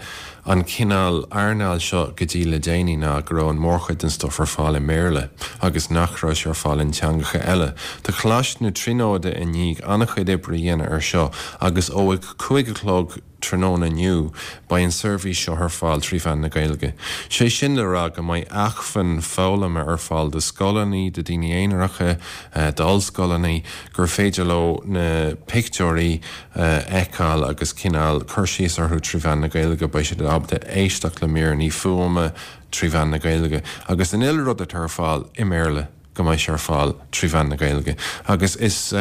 an cineál earnáil seo go dtí le déanaí ná go raibh an mórchuid den stuif ar fáil i mBéarla agus nach raibh sé ar fáil in teangacha eile. Tá Coláiste na Tríonóide i ndiaidh an-chuid oibre a dhéanamh ar seo agus ó a cúig a chlog tráthnóna inniu, beidh an seirbhís seo ar fáil trí mheán na Gaeilge. Sé sin le rá go mbeidh acmhainn foghlama ar fáil do scoileanna, do daoine aonaracha, d'ollscoileanna, gur féidir leo na pictiúirí a fheiceáil agus cineál cur síos orthu trí mheán na Gaeilge. Beidh siad ábalta éisteacht le míreanna fuaime trí mheán na Gaeilge agus an uile rud atá ar fáil i mBéarla go mbeidh sé ar fáil trí mheán na Gaeilge. Agus is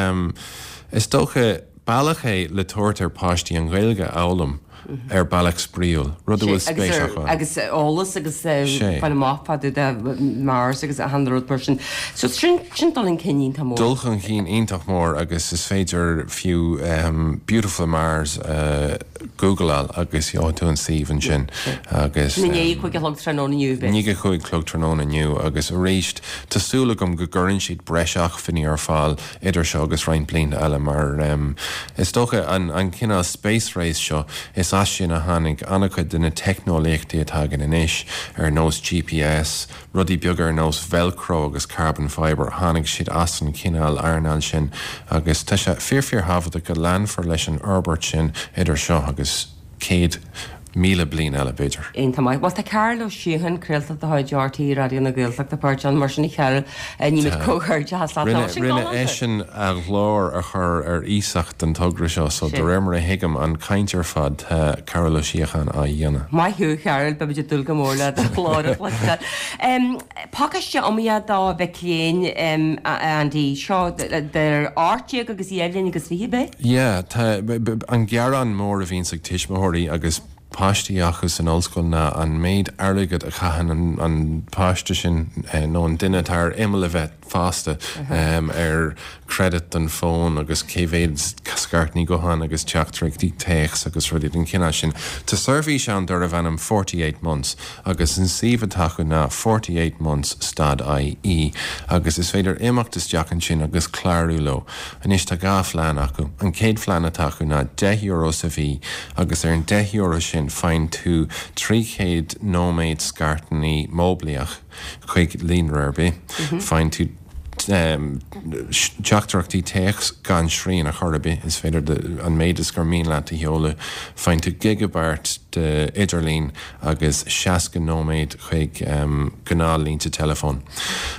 is dócha bealach é le tabhairt ar páistí an Ghaeilge a fhoghlaim ar bealach spraíúil, rud a bhfuil spéis acu ann. Agus eolas agus fáil amach fá dtaobh de Mars agus achan rud mar sin. So sin sin dul chun cinn iontach mór. Dul chun cinn iontach mór agus is féidir fiú Beautiful Mars a Googleáil agus gheobhaidh tú an suíomh ansin agus. I ndiaidh a cúig a chlog tráthnóna inniu, beidh. I ndiaidh a cúig a chlog tráthnóna inniu agus arís tá súil agam go gcuireann siad breis acmhainní ar fáil idir seo agus roinnt blianta eile mar is dócha an an cineál space race seo is as sin a tháinig an-chuid de na teicneolaíochtaí atá againn anois ar nós G P S, rudaí beaga ar nós velcro agus carbon fibre, tháinig siad as an chineál earnáil sin agus tá sé fíor fíor thábhachtach go leanfar leis an fhorbairt sin idir seo agus céad míle bliain eile, b'fhéidir. Iontach maith. Bhuel, tá Cearbhall Ó Síocháin, craoltóir de chuid RTÉ Raidió na Gaeltachta páirteach ann, mar sin a Chearbhaill, nímid comhghairdeachas leat. Rinne, rinne eisean a ghlór a chur ar iasacht don togra seo, so de réir mar a thuigim an chaint ar fad, tá Cearbhall Ó Síocháin á dhéanamh. Maith thú, a Chearbhaill, beimid ag dúil go mór le do ghlór a chloisteáil. Pacáiste iomaíoch do mhic léinn, a Andy, seo idir ocht déag agus dhá bhliain agus fiche, ab é? Yeah, tá, an gearán mór a bhíonns ag tuismitheoirí agus páistí acu san ollscoil ná an méid airgid a chaitheann an páiste sin nó an duine atá ar imeall a bheith fásta ar credit don fón agus cé mhéad scairteanna gutháin agus teachtaireachtaí téacs agus rudaí den chineál sin. Tá seirbhís ann darbh ainm forty eight months agus an suíomh atá acu ná forty eight months stad ie agus is féidir imeacht isteach ansin agus clárú leo. Anois tá dhá phlean acu. An chéad phlean atá acu ná deich euro sa mhí agus ar an deich euro sin faigheann tú trí chéad nóiméad scairteanna móiblíoch chuig líonra ar bith. Faigheann tú teachtaireachtaí téacs gan srian ar chor ar bith, is féidir an méid is gur mian leat a sheoladh. Faigheann tú gigeabairt de idirlíon agus seasca nóiméad chuig gnáthlínte teileafóin.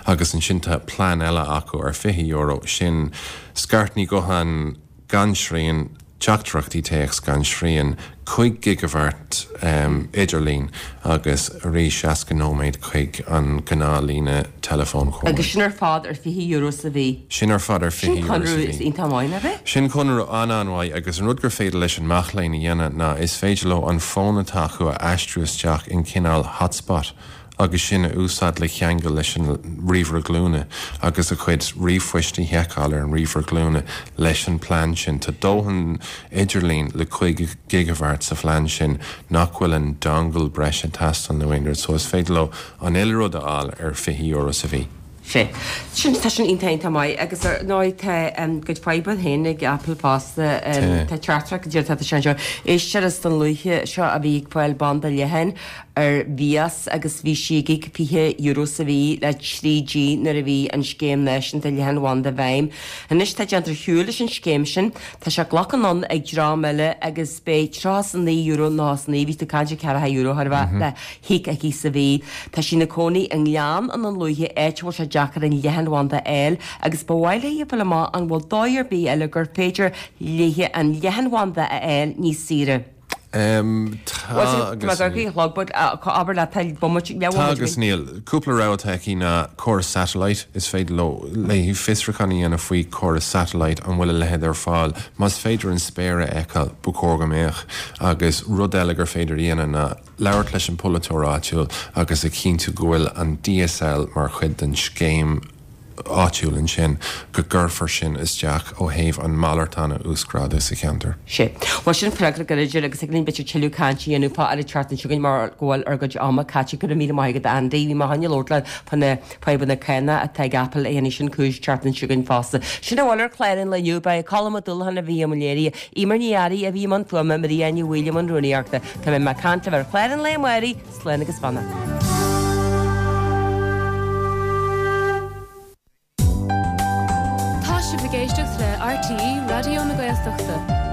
Agus ansin tá plean eile acu ar fiche euro, sin scairteanna gutháin gan srian, teachtaireachtaí téacs gan srian, cúig ghigeabhairt idirlín agus arís seasca nóiméad chuig an ghnáthlíne teileafóin chomh maith. Agus sin ar fad ar fiche euro sa mhí? Sin ar fad ar fiche Sin euro sa conradh mhí. iontach maith, nach ea? Sin conradh an-an-mhaith agus an rud gur féidir leis an mac léinn a dhéanamh ná is féidir leo an fón atá acu a aistriú isteach in cineál hotspot agus sin a úsáid le ceangal leis an ríomhaire glúine agus a chuid ríomhphoist a sheiceáil ar an ríomhaire glúine leis an bplean sin. Tá dóthain idirlín le cúig ghigeabhairt sa phlean sin nach bhfuil an dongle breise ag teastáil nó aon rud, so is féidir leo an uile rud a fháil ar fiche euro sa mhí. Sea. Sin, tá sin iontach iontach maith agus ar ndóigh tá a gcuid fadhbanna féin ag Apple fosta. Tá teachtaireacht go dtí tá sé anseo. Éisteoir as Dún Lúiche seo a bhí ag fáil banda leathan ar mhias agus bhí sí ag íoc fiche euro sa mhí le trí G nuair a bhí an scéim náisiúnta leathanbhanda i bhfeidhm. Anois tá déanta ar shiúl leis an scéim sin. Tá sé glactha anonn ag dream eile agus beidh tríocha is a naoi euro nócha is a naoi, bhí tú ag caint ar ceathracha euro chóir a bheith, le híoc aici sa mhí. Tá sí ina cónaí i nGleann i nDún Lúiche, áit a bhfuil sé deacair an leathanbhanda a fháil agus ba mhaith léi a fháil amach an bhfuil dóigh ar bith eile gur féidir léi an leathanbhanda a fháil níos saoire. Tá agus níl. Tá agus níl. Cúpla rogha atá aici ná córas satellite, is féidir leo, léi fiosrúchán a dhéanamh faoi chóras satellite, an bhfuil a leithéid ar fáil. Más féidir an spéir a fheiceáil, ba chóir go mbeadh. Agus rud eile gur féidir a dhéanamh ná labhairt leis an bpolaiteoir áitiúil agus a chinntiú go bhfuil an DSL mar chuid den scéim áitiúil ansin, go gcuirfear sin isteach ó thaobh an malartán a uasghrádú sa cheantar. Sea. Bhuel, sin freagra go leor agus thig linn b'fhéidir tuilleadh cainte a dhéanamh fá ar an tseachtain seo chugainn mar go bhfuil ár gcuid ama caite. Go raibh míle maith agat, Andy. Bhí mé chun labhairt leat fá na fadhbanna cánach atá ag Apple a dhéanfaidh sin cúis an tseachtain seo chugainn fosta. Sin a bhfuil ar chlár an lae inniu. Ba é Colm Ó Dúlacháin a bhí i mbun léirithe, Eimear Ní Fhearraigh a bhí i mbun fuaime, Maria Ní Bhaoill i mbun rúnaíochta. Tá mé ag caint libh ar chlár an lae amáirigh. Slán agus beannacht. Tá sibh ag éisteacht le RTÉ Raidió na Gaeltachta.